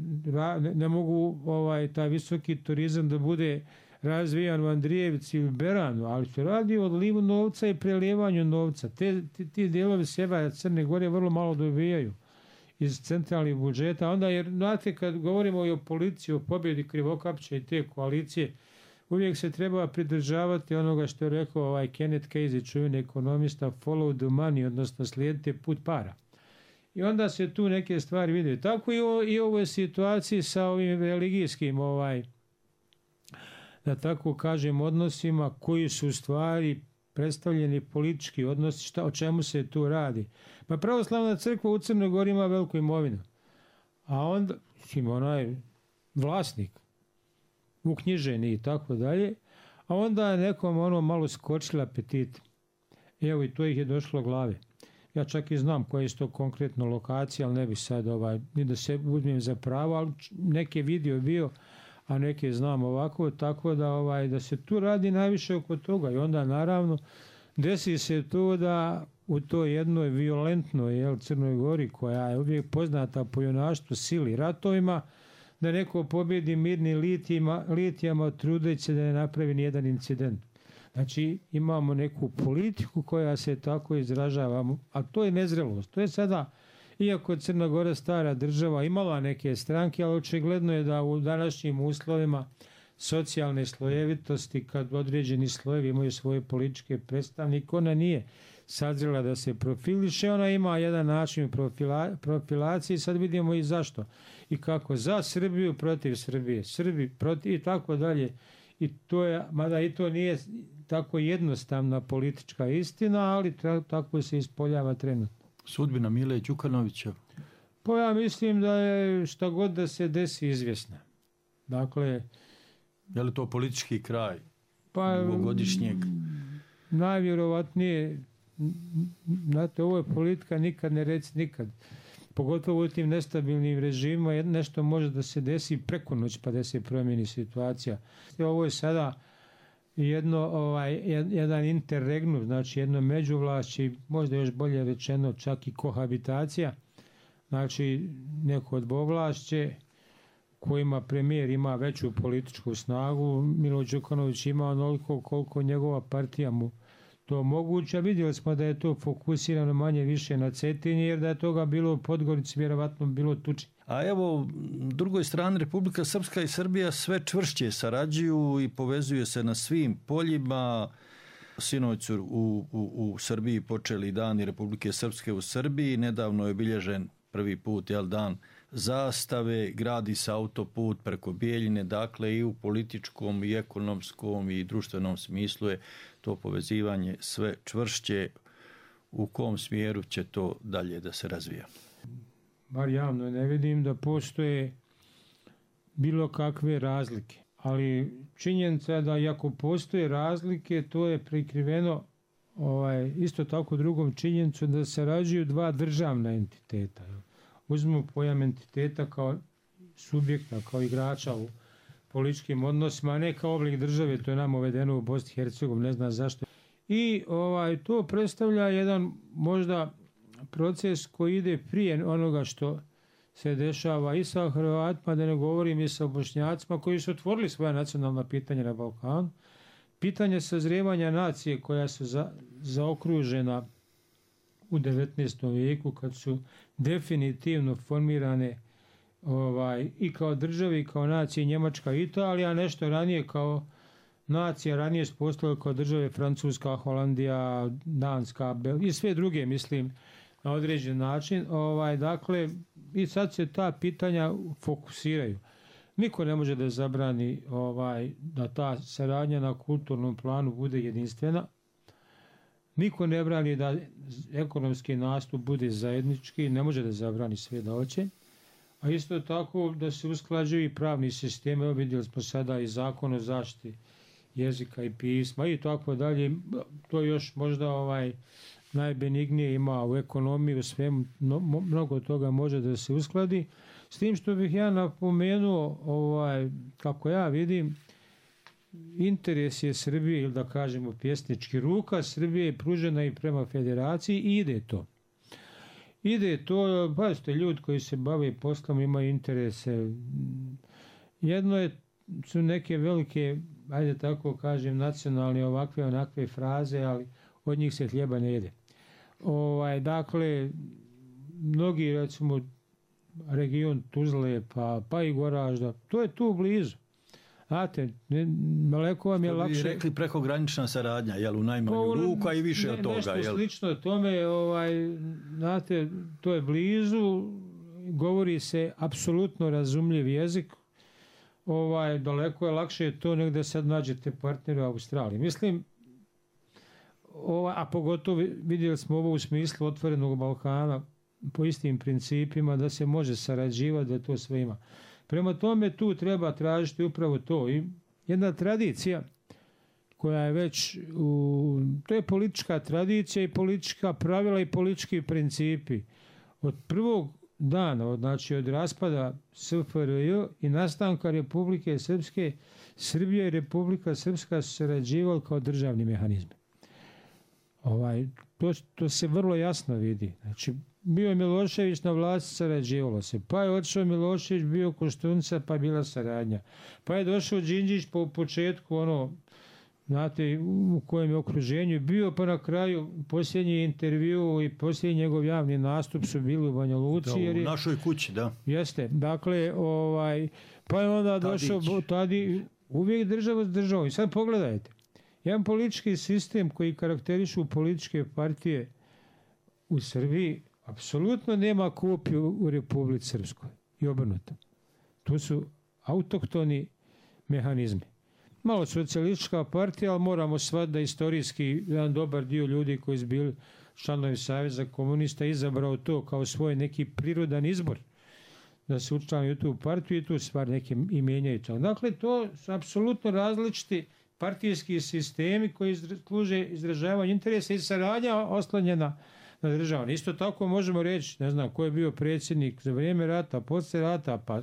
ne, ne mogu ovaj taj visoki turizam da bude razvijan u Andrijevici ili Beranu, ali se radi o odlivu novca i prelijevanju novca. Te, ti, ti dijelovi sjevera Crne Gore vrlo malo dobijaju iz centralnih budžeta. Onda, jer znate, kad govorimo i o policiji, o pobjedi Krivokapća i te koalicije, uvijek se treba pridržavati onoga što je rekao ovaj Kenneth Casey, čuveni ekonomista, follow the money, odnosno slijedite put para. I onda se tu neke stvari vide. Tako i u, i u ovoj situaciji sa ovim religijskim, ovaj, da tako kažem, odnosima koji su u stvari predstavljeni politički odnosi, šta, o čemu se tu radi. Pa pravoslavna crkva u Crnoj Gori ima veliku imovinu. A onda, ima onaj vlasnik, uknjiženi i tako dalje, a onda je nekom ono malo skočila apetit. Evo i to ih je došlo glave. Ja čak i znam koja je to konkretno lokacija, ali ne bi sad ovaj, ni da se uzmem za pravo, ali neke video bio, a neke znam ovako, tako da ovaj da se tu radi najviše oko toga. I onda naravno desi se to da u toj jednoj violentnoj jel, Crnoj Gori, koja je uvijek poznata po junaštvu, sili, ratovima, da neko pobjedi mirni litijama, litijama trudeći se da ne napravi nijedan incident. Znači imamo neku politiku koja se tako izražava, a to je nezrelost. To je sada, iako Crna Gora stara država, imala neke stranke, ali očigledno je da u današnjim uslovima socijalne slojevitosti, kad određeni slojevi imaju svoje političke predstavnike, ona nije sazrela da se profiliše, ona ima jedan način profila, profilacije i sad vidimo i zašto. I kako za Srbiju protiv Srbije, Srbi protiv i tako dalje. I to je, mada i to nije tako jednostavna politička istina, ali tako se ispoljava trenutno. Sudbina Mile Đukanovića? Pa ja mislim da je šta god da se desi izvjesna. Dakle, je li to politički kraj pa, dugogodišnjeg? Najvjerovatnije, znate, ovo je politika nikad ne reci nikad. Pogotovo u tim nestabilnim režimima nešto može da se desi preko noć pa da se promijeni situacija. Ovo je sada jedno, ovaj, jedan interregnum, znači jedno međuvlašće, možda još bolje rečeno čak i kohabitacija, znači neko od dvovlašće kojima premijer ima veću političku snagu, Milo Đukanović ima onoliko koliko njegova partija mu to moguće. Vidjeli smo da je to fokusirano manje više na Cetinje, jer da je toga bilo u Podgorici, vjerovatno bilo tuči. A evo, drugoj strani Republika Srpska i Srbija sve čvršće sarađuju i povezuju se na svim poljima. Sinoć su u, u, u Srbiji počeli dani Republike Srpske u Srbiji. Nedavno je obilježen prvi put, jel, dan zastave, gradi se autoput preko Bijeljine, dakle i u političkom i ekonomskom i društvenom smislu je to povezivanje sve čvršće. U kom smjeru će to dalje da se razvija? Bar javno ne vidim da postoje bilo kakve razlike, ali činjenica je da iako postoje razlike, to je prikriveno ovaj, isto tako drugom činjenicu da se rađuju dva državna entiteta. Uzmemo pojam entiteta kao subjekta, kao igrača u političkim odnosima, a ne kao oblik države, to je nam uvedeno u Bosni i Hercegovini, ne znam zašto. I ovaj, to predstavlja jedan možda proces koji ide prije onoga što se dešava i sa Hrvatima, da ne govorim i sa Bošnjacima koji su otvorili svoja nacionalna pitanja na Balkanu. Pitanje sazrijevanja nacije koja su za, zaokružena u devetnaestom vijeku kad su definitivno formirane ovaj, i kao državi, i kao nacije Njemačka i Italija, nešto ranije kao nacija, ranije su postojale kao države Francuska, Holandija, Danska, Bel i sve druge, mislim, na određen način. Ovaj, dakle, i sad se ta pitanja fokusiraju. Niko ne može da zabrani ovaj, da ta saradnja na kulturnom planu bude jedinstvena. Niko ne brani da ekonomski nastup bude zajednički, ne može da zabrani sve da hoće. A isto tako da se usklađuju i pravni sistemi. Evo vidjeli smo sada i zakon o zaštiti jezika i pisma i tako dalje. To još možda ovaj najbenignije ima u ekonomiji, u svemu, mnogo toga može da se uskladi. S tim što bih ja napomenuo, ovaj, kako ja vidim, interes je Srbije, ili da kažemo pjesnički, ruka Srbije je pružena i prema federaciji i ide to. Ide to, pazite, ljudi koji se bave poslom imaju interese. Jedno je, su neke velike, ajde tako kažem, nacionalne ovakve onakve fraze, ali od njih se hljeba ne jede. Ovaj, dakle, mnogi, recimo, region Tuzle, pa, pa i Goražda, to je tu blizu. Znate, daleko vam je lakše... Što bi rekli prekogranična saradnja, jel, u najmanju ruku, a i više ne, od toga, nešto jel? Nešto slično tome, ovaj, znate, to je blizu, govori se apsolutno razumljiv jezik, ovaj, daleko je lakše to nego da sad nađete partnera u Australiji. Mislim, ovaj, a pogotovo vidjeli smo ovo u smislu otvorenog Balkana po istim principima da se može sarađivati, da to sve ima. Prema tome tu treba tražiti upravo to. I jedna tradicija koja je već, u, to je politička tradicija i politička pravila i politički principi. Od prvog dana, znači od raspada S F R J i nastanka Republike Srpske, Srbija i Republika Srpska su sarađivali kao državni mehanizmi. Ovaj, to, to se vrlo jasno vidi. Znači, bio je Milošević na vlasti, sarađivalo se. Pa je otišao Milošević, bio Koštunica, pa je bila saradnja. Pa je došao Đinđić po početku, ono, znate, u kojem je okruženju bio, pa na kraju posljednji intervju i posljednji njegov javni nastup su bili u Banja Luci. Da, u našoj kući, da. Jeste, dakle, ovaj, pa je onda došao Tadić, uvijek država s državom. I sad pogledajte, jedan politički sistem koji karakterišu političke partije u Srbiji apsolutno nema kopiju u Republici Srpskoj i obrnuto. Tu su autohtoni mehanizmi. Malo socijalistička partija, ali moramo shvatiti da istorijski jedan dobar dio ljudi koji su bili članovi Saveza komunista izabrao to kao svoj neki prirodan izbor da se učlani u tu partiju i tu stvar neke i mijenjaju. Dakle, to su apsolutno različiti partijski sistemi koji služe izražavanju interesa i saradnja oslanjena na državu. Isto tako možemo reći, ne znam, ko je bio predsjednik za vrijeme rata, poslije rata, pa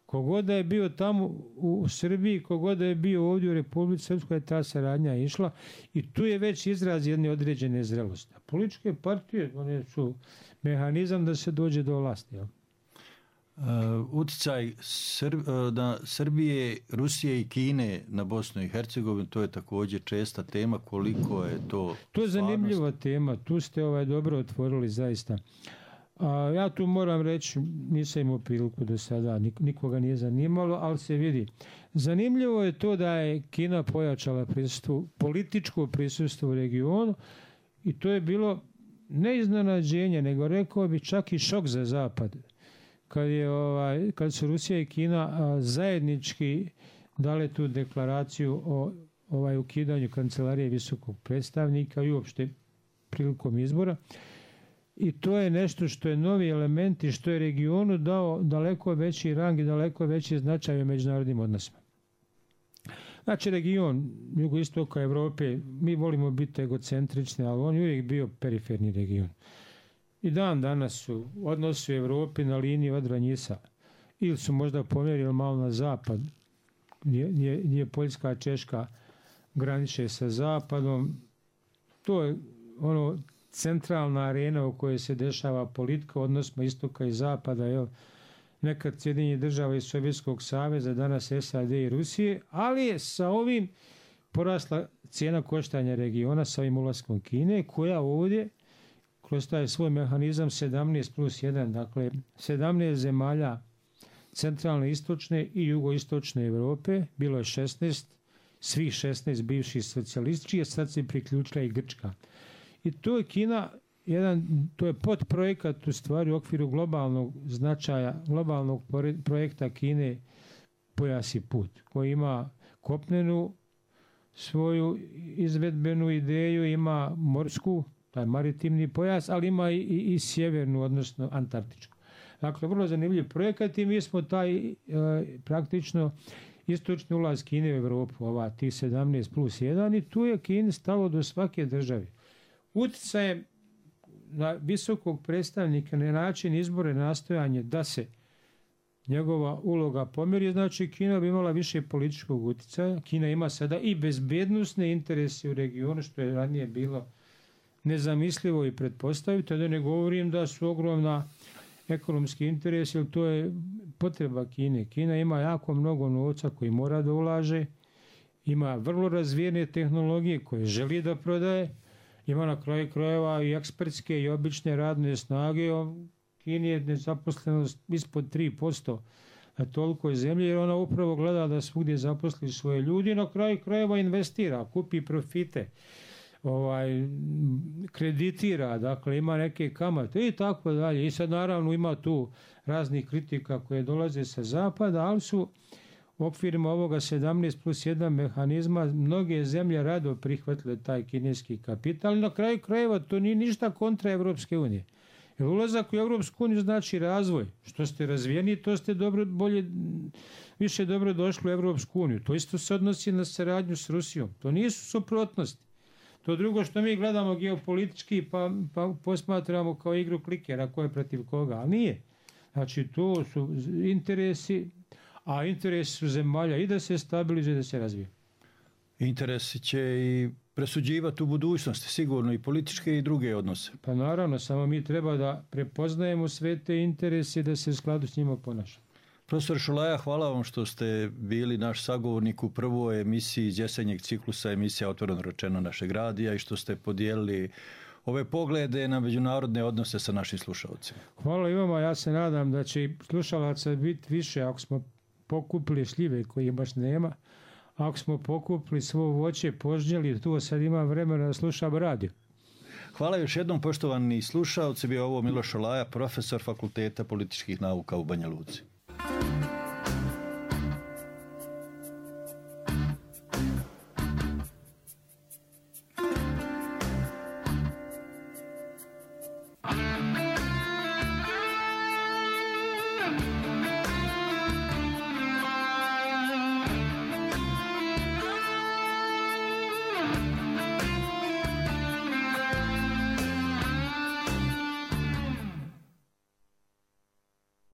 kogod da je bio tamo u Srbiji, kogod da je bio ovdje u Republici Srpskoj, ta saradnja išla i tu je već izraz jedne određene zrelosti. A političke partije, one su mehanizam da se dođe do vlasti. Jel? Uh, uticaj Sr- na Srbije, Rusije i Kine na Bosnu i Hercegovinu, to je također česta tema, koliko je to To je zanimljiva tema, tu ste ovaj dobro otvorili zaista. A ja tu moram reći, nisam imao priliku do sada, nikoga nije zanimalo, ali se vidi. Zanimljivo je to da je Kina pojačala prisustvo, političko prisustvo u regionu i to je bilo ne iznenađenje, nego rekao bi čak i šok za Zapad. Kad, je, ovaj, kad su Rusija i Kina a, zajednički dale tu deklaraciju o ovaj, ukidanju kancelarije visokog predstavnika i uopšte prilikom izbora. I to je nešto što je novi element i što je regionu dao daleko veći rang i daleko veći značaj u međunarodnim odnosima. Znači region jugoistoka Evrope, mi volimo biti egocentrični, ali on je uvijek bio periferni region. I dan danas su odnosi u Evropi na liniji Odra-Njisa. Ili su možda pomjerili malo na zapad, gdje, gdje, gdje Poljska, Češka graniče sa zapadom. To je ono centralna arena u kojoj se dešava politika, odnosno istoka i zapada, jel? Nekad Sjedinjenih država iz Sovjetskog saveza, danas S A D i Rusije, ali je sa ovim porasla cijena koštanja regiona sa ovim ulaskom Kine, koja ovdje kroz taj svoj mehanizam sedamnaest plus jedan, dakle sedamnaest zemalja centralne, istočne i jugoistočne Europe, bilo je šesnaest, svih šesnaest bivših socijalističkih, a sad se priključila i Grčka. I to je Kina, jedan, to je podprojekat u stvari u okviru globalnog značaja, globalnog projekta Kine Pojas i put, koji ima kopnenu svoju izvedbenu ideju, ima morsku, taj maritimni pojas, ali ima i, i, i sjevernu, odnosno antarktičku. Dakle, vrlo zanimljiv projekat i mi smo taj e, praktično istočni ulaz Kine u Evropu, ova tih sedamnaest plus jedan, i tu je Kini stalo do svake države. Utjecajem na visokog predstavnika na način izbora i nastojanje da se njegova uloga pomjeri, znači Kina bi imala više političkog utjecaja. Kina ima sada i bezbednosne interese u regionu, što je ranije bilo nezamislivo i pretpostaviti, da ne govorim da su ogromna ekonomski interesi, jer to je potreba Kine. Kina ima jako mnogo novca koji mora da ulaže, ima vrlo razvijene tehnologije koje želi da prodaje, ima na kraju krajeva i ekspertske i obične radne snage. Kini je nezaposlenost ispod tri posto na toliko je zemlje, jer ona upravo gleda da svugdje zaposli svoje ljudi, na kraju krajeva investira, kupi profite, ovaj, kreditira, dakle ima neke kamate i tako dalje. I sad naravno ima tu raznih kritika koje dolaze sa zapada, ali su u okvirima ovoga sedamnaest plus jedan mehanizma mnoge zemlje rado prihvatile taj kineski kapital. Na kraju krajeva to nije ništa kontra Evropske unije. Jer ulazak u Evropsku uniju znači razvoj. Što ste razvijeni, to ste dobro, bolje, više dobro došli u Evropsku uniju. To isto se odnosi na saradnju s Rusijom. To nisu suprotnosti. To drugo što mi gledamo geopolitički pa, pa posmatramo kao igru klikera ko je protiv koga, ali nije. Znači to su interesi, a interesi su zemalja i da se stabilizuje i da se razvije. Interesi će i presuđivati u budućnosti, sigurno i političke i druge odnose. Pa naravno, samo mi treba da prepoznajemo sve te interese i da se u skladu s njima ponašamo. Profesor Šulaja, hvala vam što ste bili naš sagovornik u prvoj emisiji iz jesenjeg ciklusa emisija Otvoreno rečeno našeg radija i što ste podijelili ove poglede na međunarodne odnose sa našim slušalcima. Hvala i vama, ja se nadam da će slušalaca biti više ako smo pokupili šljive koje baš nema, ako smo pokupili svo voće, požnjeli, tu sad ima vremena da slušamo radio. Hvala još jednom, poštovani slušalci, bio ovo Miloš Šolaja, profesor Fakulteta političkih nauka u Banja Luci.